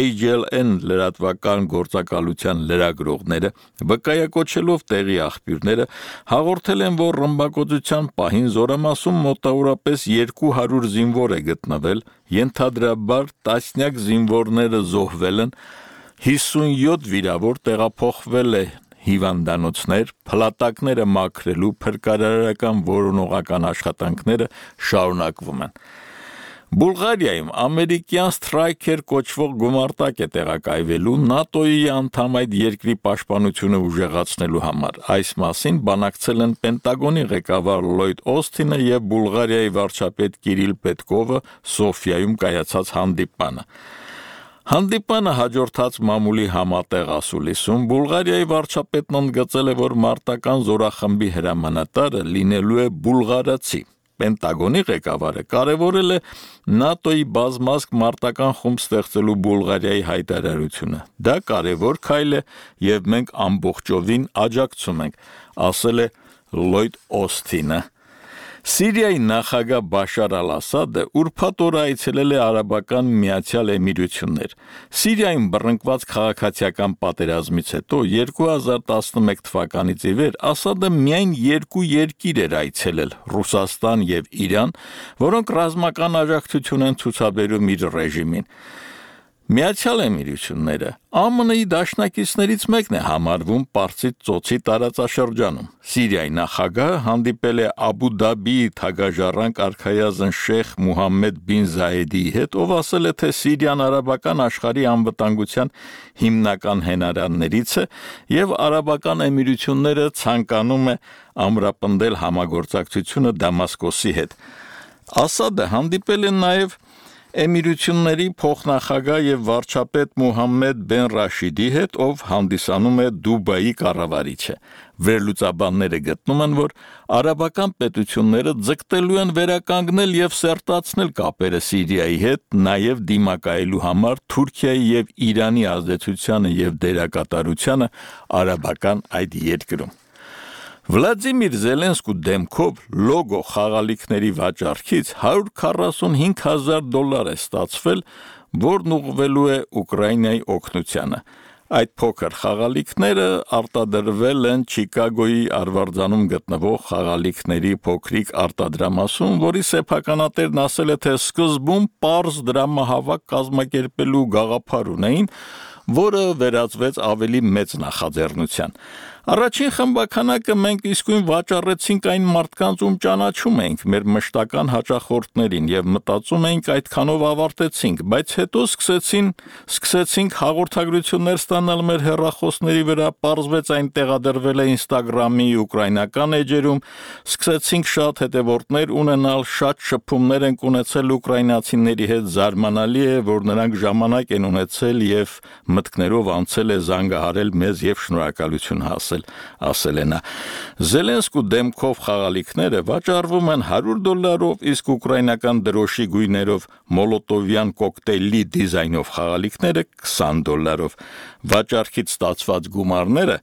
էյչ էլ էն լրատվական գործակալության լրագրողները, վկայակոչելով տեղի աղբյուրները, հաղորդել են, որ ռմբակոծության պահին զորամասում մոտավորապես երկու հարյուր զինվոր է գտնվել, ենթադրաբար տասնյակ զինվորները զոհվել են, հիսունյոթ վիրավոր տեղափոխվել է հիվանդանոցներ, փլատակները մաքրելու փրկարարական որոնողական աշխատանքները շարունակվում են։ Բուլղարիայում ամերիկյան Սթրայքեր կոչվող գումարտակ է տեղակայվելու ՆԱՏՕ-ի անդամ այդ երկրի պաշտպանությունը ուժեղացնելու համար։ Այս մասին բանակցել են Պենտագոնի ղեկավար Լլոյդ Օսթինը եւ Բուլղարիայի վարչապետ Կիրիլ Պետկովը Սոֆիայում կայացած հանդիպանը։ Հանդիպանը հաջորդած մամուլի համատեղ ասուլիսում Բուլղարիայի վարչապետն ընդգծել է, որ մարտական զորախմբի հրամանատարը լինելու է բուլղարացի։ Պենտագոնի ղեկավարը կարևորել է ՆԱՏՕ-ի բազմազգ մարտական խումբ ստեղծելու Բուլղարիայի հայտարարությունը։ Դա կարևոր քայլ է եւ մենք ամբողջովին աջակցում ենք, ասել է Լլոյդ Օսթինը։ Սիրիայի նախագահ Բաշար Ալ-Ասադը ուրբաթ օրը այցելել է Արաբական Միացյալ Էմիրություններ։ Սիրիայում բռնկված քաղաքացիական պատերազմից հետո երկու հազար տասնմեկ թվականից ի վեր Ասադը միայն երկու երկիր էր այցելել՝ Ռուսաստան եւ Իրան, որոնք ռազմական աջակցություն են ցուցաբերում իր ռեժիմին։ Միացյալ Էմիրությունները Α M-ի դաշնակիցներից մեկն է համարվում Պարսից ծոցի տարածաշրջանում։ Սիրիայի նախագահը հանդիպել է Աբու Դաբիի թագաժառանգ արքայազն Շեյխ Մուհամմեդ բին Զայեդիի հետ, ով ասել է, թե Սիրիան արաբական աշխարհի անվտանգության հիմնական հենարաններից է եւ Արաբական Էմիրությունները ցանկանում է ամրապնդել համագործակցությունը Դամասկոսի հետ։ Ասադը հանդիպել է նաեւ Էմիրությունների փոխնախագահ եւ վարչապետ Մուհամմեդ բեն Ռաշիդի հետ, ով հանդիսանում է Դուբայի կառավարիչը։ Վերլուծաբանները գտնում են, որ արաբական պետությունները ձգտելու են վերականգնել եւ սերտացնել կապերը Սիրիայի հետ, նաեւ դիմակայելու համար Թուրքիայի եւ Իրանի ազդեցությանը եւ դերակատարությանը արաբական այդ երկրում։ Վլադիմիր Զելենսկու դեմքով լոգո խաղալիքների վաճառքից հարյուր քառասունհինգ հազար դոլար է ստացվել, որն ուղղվելու է Ուկրաինայի օգնությանը։ Այդ փոքր խաղալիքները արտադրվել են Չիկագոյի Արվարձանում գտնվող խաղալիքների փոքրիկ արտադրամասում, որի սեփականատերն ասել է, թե սկզբում պարզ դրամահավաք կազմակերպելու գաղափար ունեին, որը վերածվեց ավելի մեծ նախաձեռնության։ Առաջին խմբականակը մենք իսկույն վաճառեցինք այն մարդկանց, ում ճանաչում էինք, մեր մշտական հաճախորդներին եւ մտածում էինք այդքանով ավարտեցինք, բայց հետո սկսեցին, սկսեցինք հաղորդագրություններ ստանալ մեր հեռախոսների վրա, պարզվեց այն տեղադրվել է Instagram-ի ուկրաինական էջերում, սկսեցինք շատ հետևորդներ ունենալ, շատ շփումներ ենք ունեցել ուկրաինացիների հետ, զարմանալի է, որ նրանք ժամանակ են ունեցել եւ մտքներով անցել է զանգահարել մեզ եւ շնորհակալություն հասել, ասել է նա։ Զելենսկու դեմքով խաղալիքները վաճառվում են հարյուր դոլարով, իսկ ուկրաինական դրոշի գույներով մոլոտովյան կոկտեյլի դիզայնով խաղալիքները քսան դոլարով։ Վաճառքից ստացված գումարները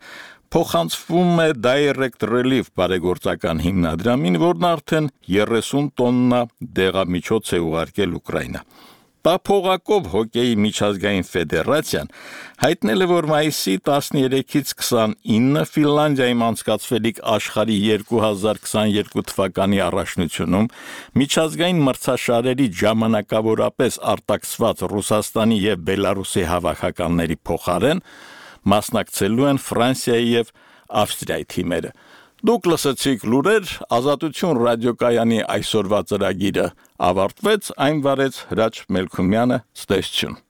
փոխանցվում է Direct Relief բարեգործական հիմնադրամին, որն արդեն երեսուն տոննա դեղամիջոց է ուղարկել Ուկրաինա։ Տափողակով հոկեյի միջազգային ֆեդերացիան հայտնել է, որ մայիսի տասներեքից քսանինը Ֆինլանդիայում անցկացվելիք աշխարհի երկու հազար քսաներկու թվականի առաջնությունում միջազգային մրցաշարերի ժամանակավորապես արտաքսված Ռուսաստանի եւ Բելարուսի հավաքականների փոխարեն մասնակցելու են Ֆրանսիայի եւ Ավստրիայի թիմերը։ Դուք լսեցիք լուրեր, Ազատություն ռադիոկայանի այսօրվա ծրագիրը ավարտվեց, այն վարեց Հրաչ Մելքումյանը, ստեսություն։